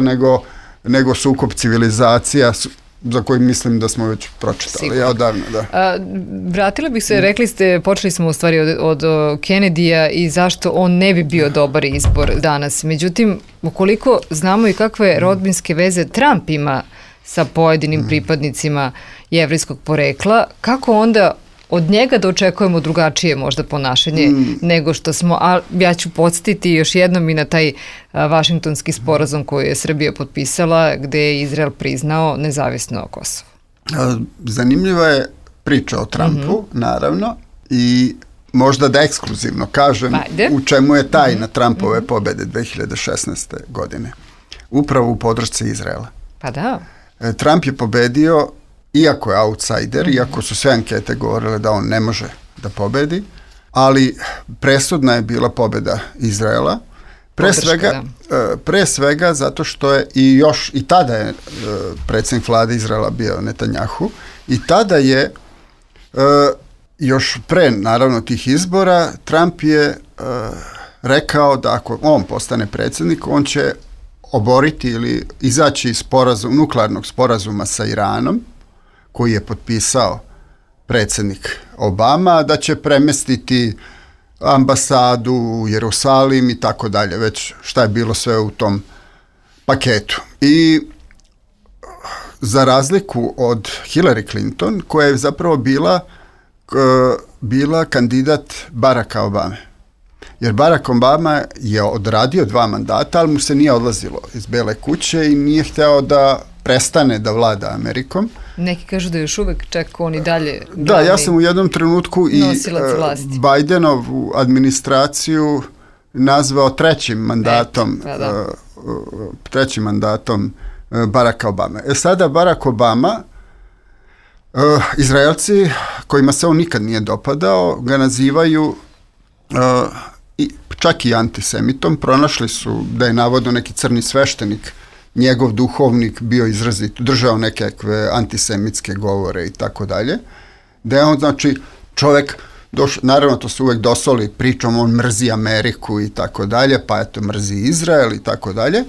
nego sukob civilizacija, za koji mislim da smo već pročitali. Sigurno. Ja odavno, da. Vratila bih se, rekli ste, počeli smo u stvari od Kennedyja i zašto on ne bi bio dobar izbor danas. Međutim, ukoliko znamo i kakve rodbinske veze Trump ima sa pojedinim pripadnicima jevrejskog porekla, kako onda od njega da očekujemo drugačije možda ponašanje nego što smo, a ja ću podsjetiti još jednom i na taj Vašingtonski sporazum koji je Srbija potpisala, gde je Izrael priznao nezavisno Kosovo. Zanimljiva je priča o Trumpu, naravno, i možda da ekskluzivno kažem u čemu je tajna Trumpove pobede 2016. godine. Upravo u podršci Izraela. Pa da. Trump je pobedio, iako je outsider, iako su sve ankete govorile da on ne može da pobedi, ali presudna je bila pobeda Izraela. Pre svega zato što je i tada je predsjednik vlade Izraela bio Netanjahu, I tada je, još pre naravno tih izbora, Trump je rekao da ako on postane predsjednik, on će oboriti ili izaći iz nuklearnog sporazuma sa Iranom, koji je potpisao predsjednik Obama, da će premestiti ambasadu u Jerusalim i tako dalje, već šta je bilo sve u tom paketu. I za razliku od Hillary Clinton, koja je zapravo bila kandidat Baracka Obame. Jer Barack Obama je odradio 2 mandata, ali mu se nije odlazilo iz Bele kuće i nije hteo da prestane da vlada Amerikom. Neki kažu da još uvek čak on i dalje... Da, ja sam u jednom trenutku i Bidenovu administraciju nazvao trećim mandatom Baracka Obame. Sada Barack Obama, Izraelci kojima se on nikad nije dopadao, ga nazivaju čak i antisemitom. Pronašli su da je navodno neki crni sveštenik, njegov duhovnik, bio izrazito, držao nekakve antisemitske govore i tako dalje. Da je on, znači, čovek, naravno to se uvek dosoli pričom, on mrzi Ameriku i tako dalje, pa eto mrzi Izrael i tako dalje.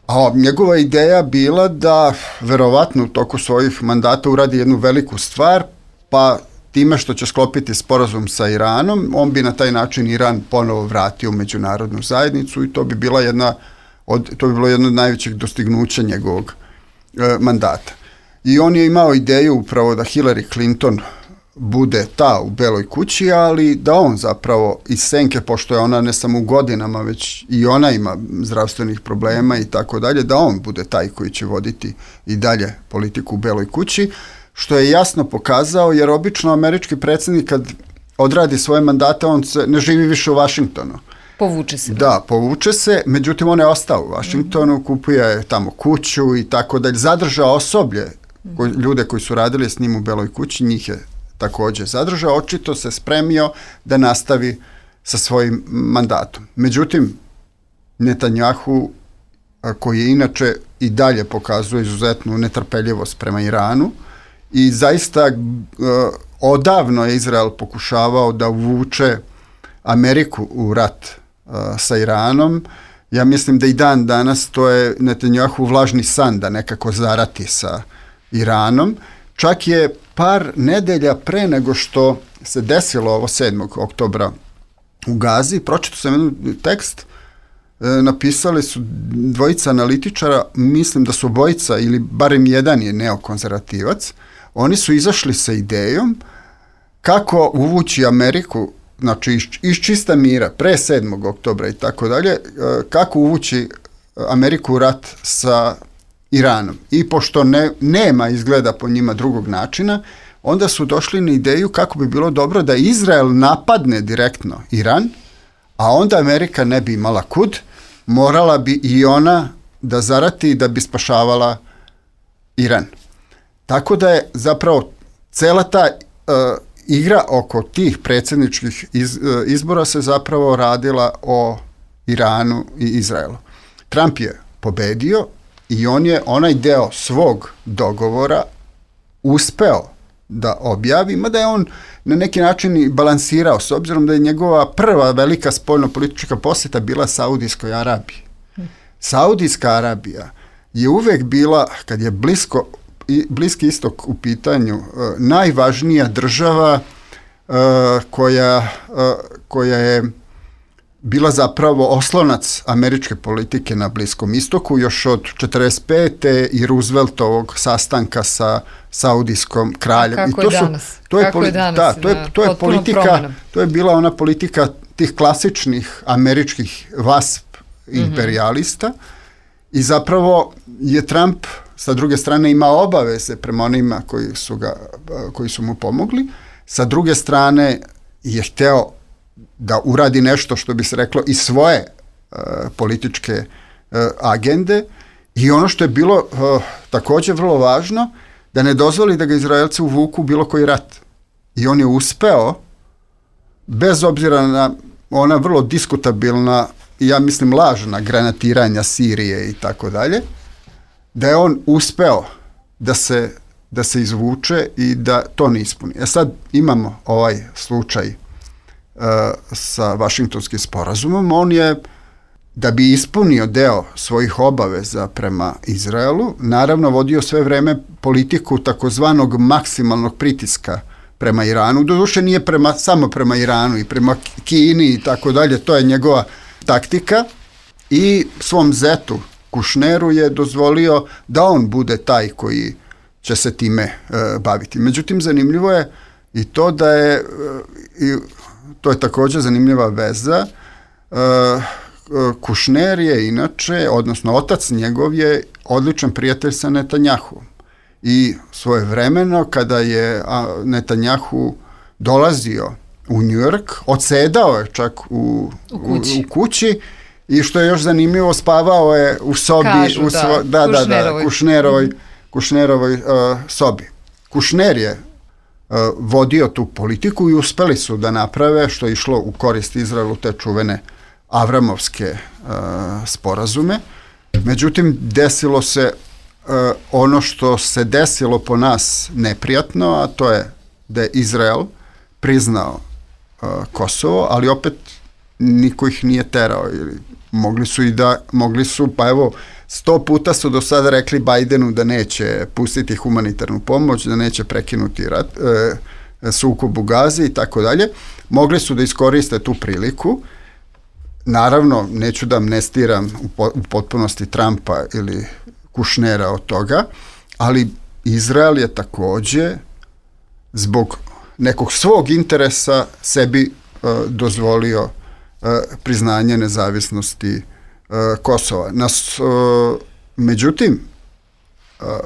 A njegova ideja bila da verovatno u toku svojih mandata uradi jednu veliku stvar, pa time što će sklopiti sporazum sa Iranom, on bi na taj način Iran ponovo vratio u međunarodnu zajednicu i to bi bilo jedno od najvećih dostignuća njegovog mandata. I on je imao ideju upravo da Hillary Clinton bude ta u Beloj kući, ali da on zapravo iz senke, pošto je ona ne samo u godinama, već i ona ima zdravstvenih problema i tako dalje, da on bude taj koji će voditi i dalje politiku u Beloj kući, što je jasno pokazao, jer obično američki predsjednik kad odradi svoje mandate, on se ne živi više u Vašingtonu. Povuče se. Da, povuče se, međutim on je ostao u Vašingtonu, kupuje tamo kuću i tako dalje, zadržao osoblje, ljude koji su radili s njim u Beloj kući, njih je također zadržao, očito se spremio da nastavi sa svojim mandatom. Međutim, Netanjahu, koji je inače i dalje pokazuje izuzetnu netrpeljivost prema Iranu i zaista odavno je Izrael pokušavao da uvuče Ameriku u rat sa Iranom. Ja mislim da i dan danas to je Netanjahu vlažni san da nekako zarati sa Iranom. Čak je par nedelja pre nego što se desilo ovo 7. oktobra u Gazi, pročitao sam jedan tekst, napisali su dvojica analitičara, mislim da su obojica ili barem jedan je neokonzervativac, oni su izašli sa idejom kako uvući Ameriku, znači iz čista mira, pre 7. oktobra i tako dalje, kako uvući Ameriku u rat sa Iranom. I pošto nema izgleda po njima drugog načina, onda su došli na ideju kako bi bilo dobro da Izrael napadne direktno Iran, a onda Amerika ne bi imala kud, morala bi i ona da zarati da bi spašavala Iran. Tako da je zapravo cela ta igra oko tih predsjedničkih izbora se zapravo radila o Iranu i Izraelu. Trump je pobedio i on je onaj deo svog dogovora uspeo da objavi, mada je on na neki način i balansirao, s obzirom da je njegova prva velika spoljno-politička posjeta bila Saudijskoj Arabiji. Saudijska Arabija je uvek bila, kad je Bliski istok u pitanju, najvažnija država koja je bila zapravo oslonac američke politike na Bliskom istoku još od 1945. i Rooseveltovog sastanka sa saudijskom kraljem. Kako je danas? To je bila ona politika tih klasičnih američkih WASP imperialista i zapravo je Trump sa druge strane imao obaveze prema onima koji su mu pomogli, sa druge strane je hteo da uradi nešto što bi se reklo i svoje političke agende i ono što je bilo također vrlo važno, da ne dozvoli da ga Izraelci uvuku u bilo koji rat. I on je uspeo, bez obzira na ona vrlo diskutabilna i ja mislim lažna granatiranja Sirije i tako dalje, da je on uspeo da se da se izvuče i da to ne ispuni. Sad imamo ovaj slučaj sa Vašingtonskim sporazumom. On je, da bi ispunio deo svojih obaveza prema Izraelu, naravno vodio sve vreme politiku takozvanog maksimalnog pritiska prema Iranu. Doduše nije samo prema Iranu, i prema Kini i tako dalje, to je njegova taktika, i svom zetu Kušneru je dozvolio da on bude taj koji će se time baviti. Međutim, zanimljivo je i to da je, to je također zanimljiva veza, Kušner je inače, odnosno otac njegov je odličan prijatelj sa Netanjahuom. I svojevremeno kada je Netanjahu dolazio u New York, odsedao je čak u kući, i što je još zanimljivo, spavao je u sobi, Kušnerovoj sobi. Kušner je vodio tu politiku i uspeli su da naprave, što je išlo u korist Izraelu, te čuvene Avramovske sporazume. Međutim, desilo se ono što se desilo po nas neprijatno, a to je da je Izrael priznao Kosovo, ali opet niko ih nije terao. Mogli su, pa evo, 100 puta su do sada rekli Bajdenu da neće pustiti humanitarnu pomoć, da neće prekinuti sukob u Gazi i tako dalje. Mogli su da iskoriste tu priliku. Naravno, neću da amnestiram u potpunosti Trumpa ili Kušnera od toga, ali Izrael je također zbog nekog svog interesa sebi dozvolio priznanje nezavisnosti Kosova. Međutim,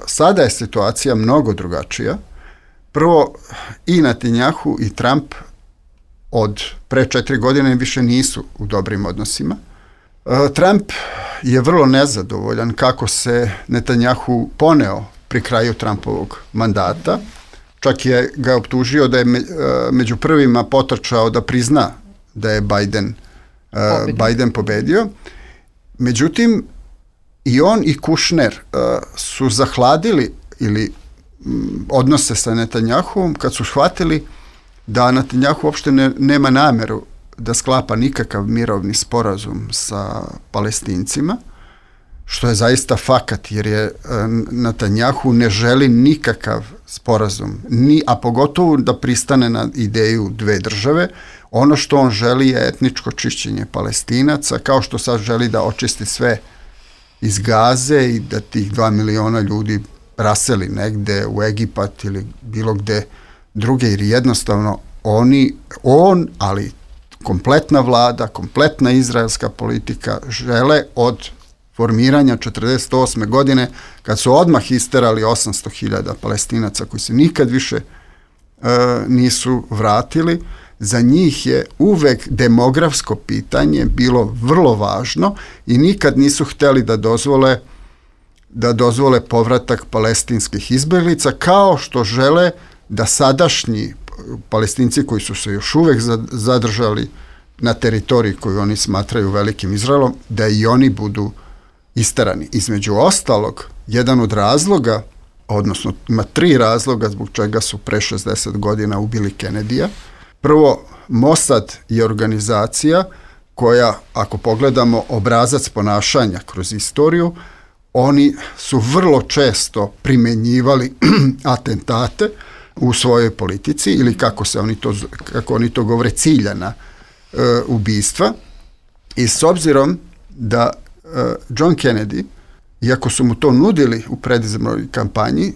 sada je situacija mnogo drugačija. Prvo, i Netanjahu i Trump od pre 4 godine više nisu u dobrim odnosima. Trump je vrlo nezadovoljan kako se Netanjahu poneo pri kraju Trumpovog mandata. Čak je ga optužio da je među prvima potrčao da prizna da je Biden pobedio. Međutim, i on i Kušner su zahladili ili odnose sa Netanjahuom kad su shvatili da Netanjahu uopšte nema nameru da sklapa nikakav mirovni sporazum sa Palestincima, što je zaista fakat, jer je Netanjahu ne želi nikakav sporazum, a pogotovo da pristane na ideju dve države. Ono što on želi je etničko čišćenje Palestinaca, kao što sad želi da očisti sve iz Gaze i da tih 2 miliona ljudi raseli negde u Egipat ili bilo gde druge, jer jednostavno on, ali kompletna vlada, kompletna izraelska politika žele od formiranja 1948. godine, kad su odmah isterali 800.000 Palestinaca koji se nikad više nisu vratili. Za njih je uvek demografsko pitanje bilo vrlo važno i nikad nisu hteli da dozvole povratak palestinskih izbjeglica, kao što žele da sadašnji Palestinci koji su se još uvek zadržali na teritoriji koju oni smatraju velikim Izraelom, da i oni budu isterani. Između ostalog, jedan od razloga, odnosno ima 3 razloga zbog čega su pre 60 godina ubili Kennedyja. Prvo, Mossad je organizacija koja, ako pogledamo obrazac ponašanja kroz istoriju, oni su vrlo često primenjivali atentate u svojoj politici, ili kako oni to govore, ciljana ubistva. I s obzirom da John Kennedy, iako su mu to nudili u predizbornoj kampanji,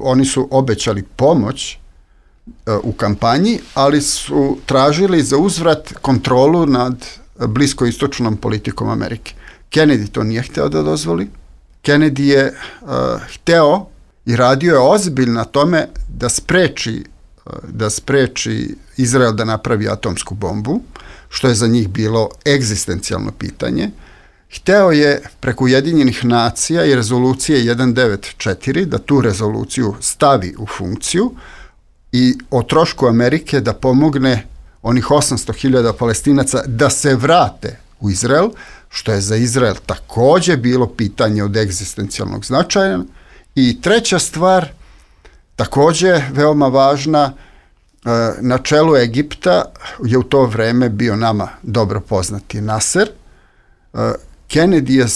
oni su obećali pomoć u kampanji, ali su tražili za uzvrat kontrolu nad bliskoistočnom politikom Amerike. Kennedy to nije hteo da dozvoli. Kennedy je hteo i radio je ozbiljno na tome da spreči Izrael da napravi atomsku bombu, što je za njih bilo egzistencijalno pitanje. Hteo je preko Ujedinjenih nacija i rezolucije 194 da tu rezoluciju stavi u funkciju i o trošku Amerike da pomogne onih 800.000 Palestinaca da se vrate u Izrael, što je za Izrael također bilo pitanje od egzistencijalnog značaja, I treća stvar, takođe veoma važna, na čelu Egipta je u to vreme bio nama dobro poznati Nasser. Kennedy je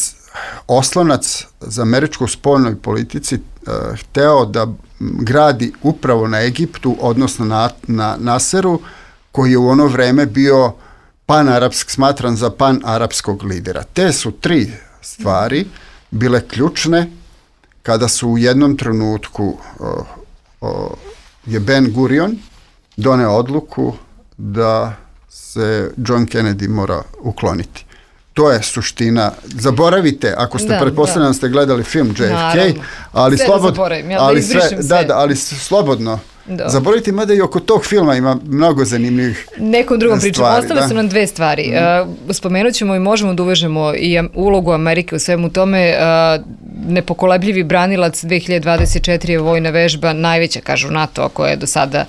oslonac za američku spoljnoj politici hteo da gradi upravo na Egiptu, odnosno na Nasseru, koji je u ono vreme bio smatran za panarapskog lidera. Te su tri stvari bile ključne kada su u jednom trenutku je Ben Gurion doneo odluku da se John Kennedy mora ukloniti. To je suština. Zaboravite, ako ste pretpostavljeno ste gledali film JFK, naravno. Ali slobodno. Da. Zaboravite, mada i oko tog filma ima mnogo zanimljivih nekom drugom pričom. Ostale su nam dve stvari. Spomenut ćemo i možemo da uvežemo i ulogu Amerike u svemu tome. Nepokolebljivi branilac 2024 je vojna vežba, najveća, kažu NATO, koja je do sada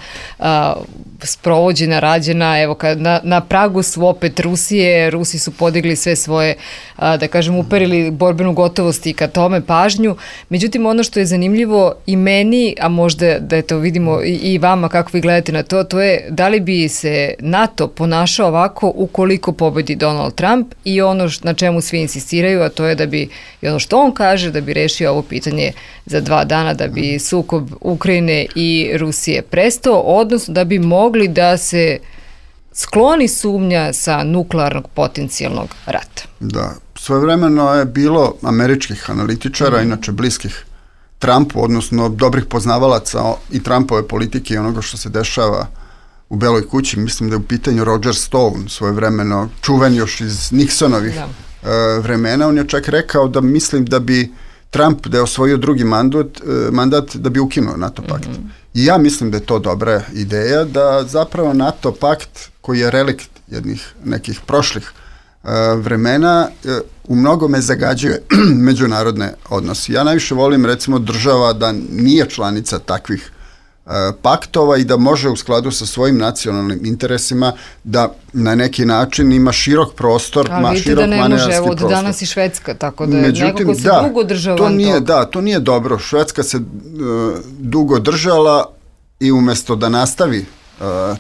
sprovođena, rađena. Evo, na pragu su opet Rusije. Rusi su podigli sve svoje, da kažem, uperili borbenu gotovost i ka tome pažnju. Međutim, ono što je zanimljivo i meni, a možda da to vidimo i vama kako vi gledate na to, to je da li bi se NATO ponašao ovako ukoliko pobedi Donald Trump i ono na čemu svi insistiraju, a to je da bi, i ono što on kaže, da bi rešio ovo pitanje za 2 dana, da bi sukob Ukrajine i Rusije prestao, odnosno da bi mogli da se skloni sumnja sa nuklearnog potencijalnog rata. Da, svojevremeno je bilo američkih analitičara, inače bliskih Trumpu, odnosno dobrih poznavalaca i Trumpove politike i onoga što se dešava u Beloj kući. Mislim da je u pitanju Roger Stone, svojevremeno čuven još iz Nixonovih vremena. On je čak rekao da mislim da bi Trump, da je osvojio drugi mandat, da bi ukinuo NATO pakt. I ja mislim da je to dobra ideja, da zapravo NATO pakt, koji je relikt nekih prošlih vremena, u mnogome zagađuje međunarodne odnose. Ja najviše volim, recimo, država da nije članica takvih paktova i da može u skladu sa svojim nacionalnim interesima da na neki način ima širok prostor, širok manevarski prostor. Od danas i Švedska, tako da nekako se dugo država toga. Da, to nije dobro. Švedska se dugo držala i umesto da nastavi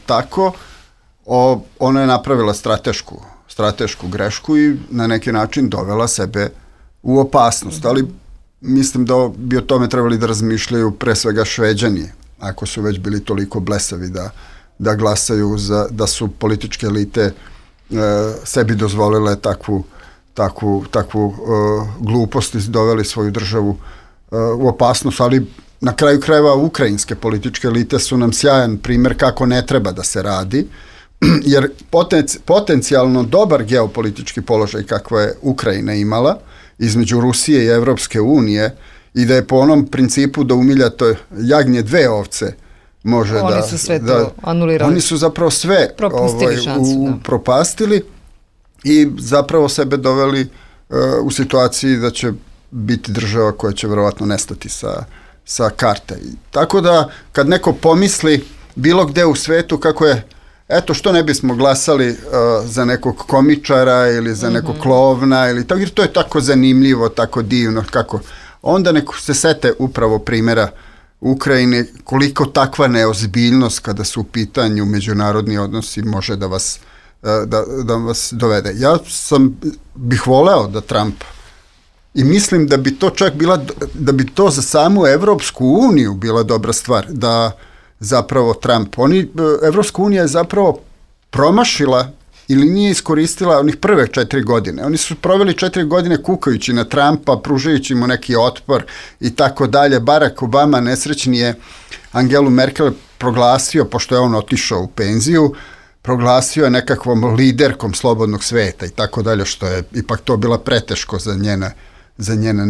tako, ona je napravila stratešku grešku i na neki način dovela sebe u opasnost. Ali mislim da bi o tome trebali da razmišljaju pre svega Šveđani, ako su već bili toliko blesavi da glasaju da su političke elite sebi dozvolile takvu glupost i doveli svoju državu u opasnost, ali na kraju krajeva ukrajinske političke elite su nam sjajan primer kako ne treba da se radi, jer potencijalno dobar geopolitički položaj kakva je Ukrajina imala između Rusije i Evropske unije i da je po onom principu da umiljato jagnje 2 ovce može da... Oni su sve to anulirali. Oni su zapravo sve propastili i zapravo sebe doveli u situaciji da će biti država koja će verovatno nestati sa karte. Tako da kad neko pomisli bilo gde u svetu kako je, eto što ne bismo glasali za nekog komičara ili za nekog klovna ili tako, jer to je tako zanimljivo, tako divno, kako onda neko se sete upravo primjera Ukrajine, koliko takva neozbiljnost kada su u pitanju međunarodni odnosi može da vas dovede. Ja bih voleo da Trump, i mislim da bi to čak da bi to za samu Evropsku uniju bila dobra stvar, da zapravo Trump, Evropska unija je zapravo promašila ili nije iskoristila onih prve 4 godine. Oni su proveli 4 godine kukajući na Trumpa, pružajući mu neki otpor i tako dalje. Barack Obama, nesrećni, je Angelu Merkel proglasio, pošto je on otišao u penziju, proglasio je nekakvom liderkom slobodnog sveta i tako dalje, što je ipak to bila preteško za njena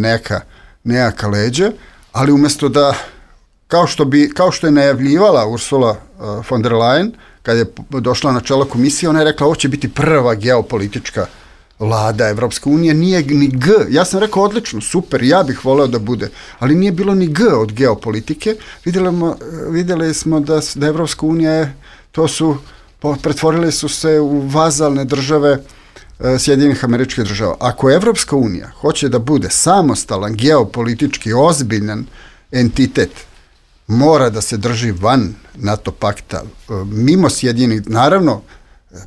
nejaka leđa, ali umesto da, kao što je najavljivala Ursula von der Leyen, kad je došla na čelo komisije, ona je rekla ovo će biti prva geopolitička vlada Evropske unije, nije ni G. Ja sam rekao odlično, super, ja bih voleo da bude, ali nije bilo ni G od geopolitike. Vidjeli smo da Evropska unija pretvorile su se u vazalne države Sjedinjenih Američkih Država. Ako Evropska unija hoće da bude samostalan, geopolitički ozbiljan entitet mora da se drži van NATO pakta, mimo Sjedinjenih, naravno,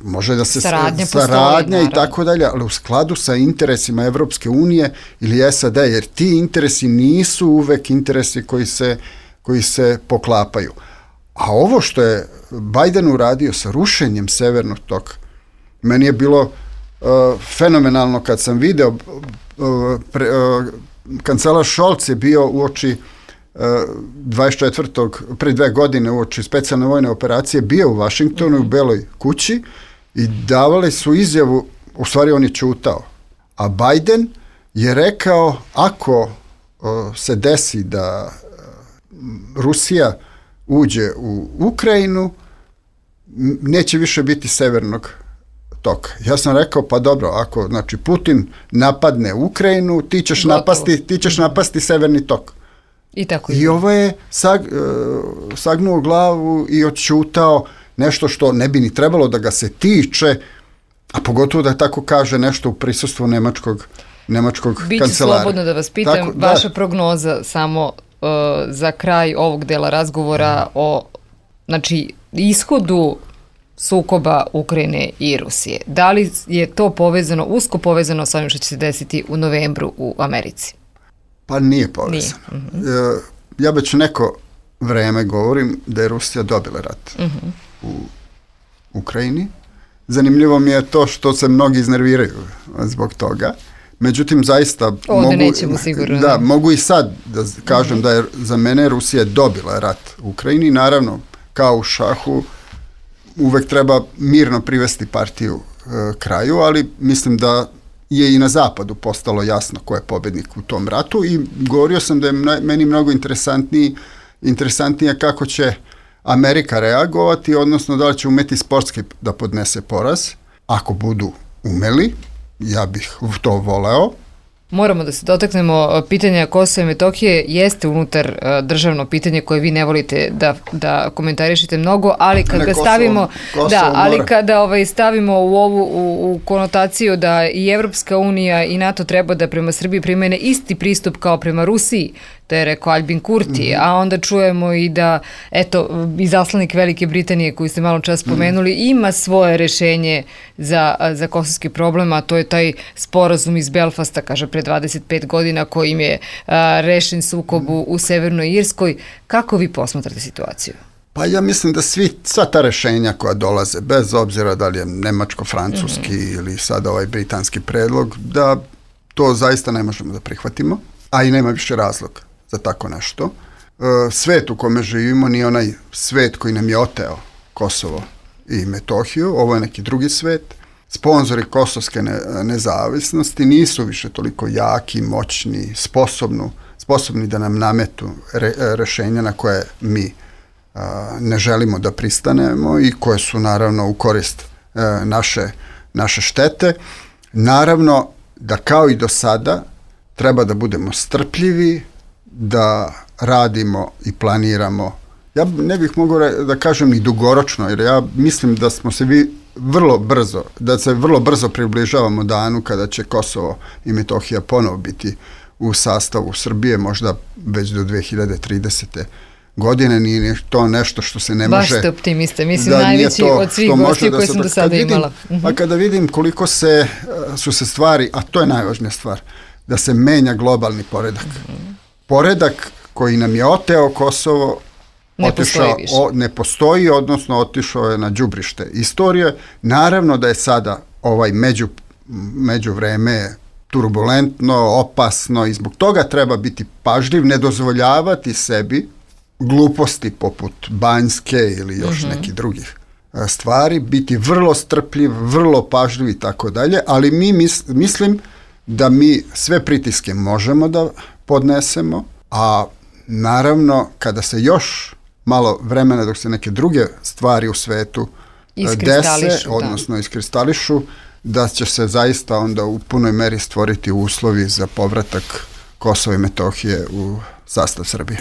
može da se saradnja i tako dalje, ali u skladu sa interesima Evropske unije ili SAD, jer ti interesi nisu uvek interesi koji se poklapaju. A ovo što je Biden uradio sa rušenjem Severnog toka, meni je bilo fenomenalno kad sam video, kancelar Scholz je bio uoči 24. pre 2 godine uoči specijalne vojne operacije, bio u Vašingtonu, u Beloj kući i davali su izjavu, u stvari on je ćutao. A Biden je rekao, ako se desi da Rusija uđe u Ukrajinu, neće više biti Severnog toka. Ja sam rekao, pa dobro, ako znači Putin napadne Ukrajinu, ti ćeš napasti Severni tok. I ovo je sagnuo glavu i odćutao nešto što ne bi ni trebalo da ga se tiče, a pogotovo da tako kaže nešto u prisustvu nemačkog kancelara. Biću slobodno da vas pitam, vaša prognoza samo za kraj ovog dela razgovora o ishodu sukoba Ukrajine i Rusije. Da li je to usko povezano sa ovim što će se desiti u novembru u Americi? Pa nije povezano. Ja već neko vreme govorim da je Rusija dobila rat u Ukrajini. Zanimljivo mi je to što se mnogi iznerviraju zbog toga. Međutim, zaista mogu i sad da kažem da je za mene Rusija dobila rat u Ukrajini. Naravno, kao u šahu, uvek treba mirno privesti partiju kraju, ali mislim da je i na zapadu postalo jasno ko je pobednik u tom ratu i govorio sam da je meni mnogo interesantnije kako će Amerika reagovati, odnosno da li će umeti sportski da podnese poraz. Ako budu umeli, ja bih to voleo. Moramo da se dotaknemo pitanja Kosova i Metohije, jeste unutar državno pitanje koje vi ne volite da komentarišete mnogo, ali kad ga stavimo, kada stavimo u konotaciju da i Evropska unija i NATO treba da prema Srbiji primene isti pristup kao prema Rusiji, to je rekao Albin Kurti, a onda čujemo i da, izaslanik Velike Britanije koju ste malo čas spomenuli, ima svoje rešenje za kosovski problem, a to je taj sporazum iz Belfasta, kaže, pre 25 godina kojim je rešen sukob u Severnoj Irskoj. Kako vi posmatrate situaciju? Pa ja mislim da sva ta rešenja koja dolaze, bez obzira da li je nemačko-francuski ili sad ovaj britanski predlog, da to zaista ne možemo da prihvatimo, a i nema više razloga za tako nešto. Svet u kome živimo nije onaj svet koji nam je oteo Kosovo i Metohiju, ovo je neki drugi svet. Sponzori kosovske nezavisnosti nisu više toliko jaki, moćni, sposobni da nam nametu rešenja na koje mi ne želimo da pristanemo i koje su naravno u korist naše štete. Naravno da kao i do sada treba da budemo strpljivi, da radimo i planiramo. Ja ne bih mogao da kažem ni dugoročno, jer ja mislim da smo se vrlo brzo približavamo danu kada će Kosovo i Metohija ponovo biti u sastavu Srbije, možda već do 2030. godine. Nije to nešto što se ne može... Baš ste optimiste, mislim najveći od svih gostiju koje sam do sada imala. Pa kada vidim koliko su se stvari, a to je najvažnija stvar, da se menja globalni poredak. Poredak koji nam je oteo Kosovo ne postoji, odnosno otišao je na đubrište istorije. Naravno da je sada ovaj međuvreme turbulentno, opasno i zbog toga treba biti pažljiv, ne dozvoljavati sebi gluposti poput Banjske ili još nekih drugih stvari, biti vrlo strpljiv, vrlo pažljiv i tako dalje, ali mislim da mi sve pritiske možemo da podnesemo, a naravno kada se još malo vremena dok se neke druge stvari u svetu dese, odnosno iskristališu, da će se zaista onda u punoj meri stvoriti uslovi za povratak Kosova i Metohije u sastav Srbije.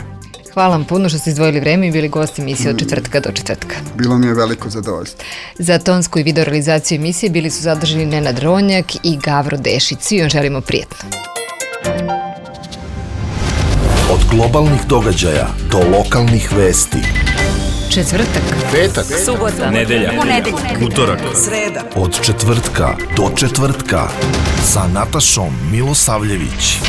Hvala vam puno što ste izdvojili vreme i bili gosti emisije od četvrtka do četvrtka. Bilo mi je veliko zadovoljstvo. Za tonsku i video realizaciju emisije bili su zadržani Nenad Ronjak i Gavro Dešić. Svi vam želimo prijetno. Od globalnih događaja do lokalnih vesti. Četvrtak, Petak, subota, nedelja, utorak, sreda. Od četvrtka do četvrtka sa Natašom Milosavljević.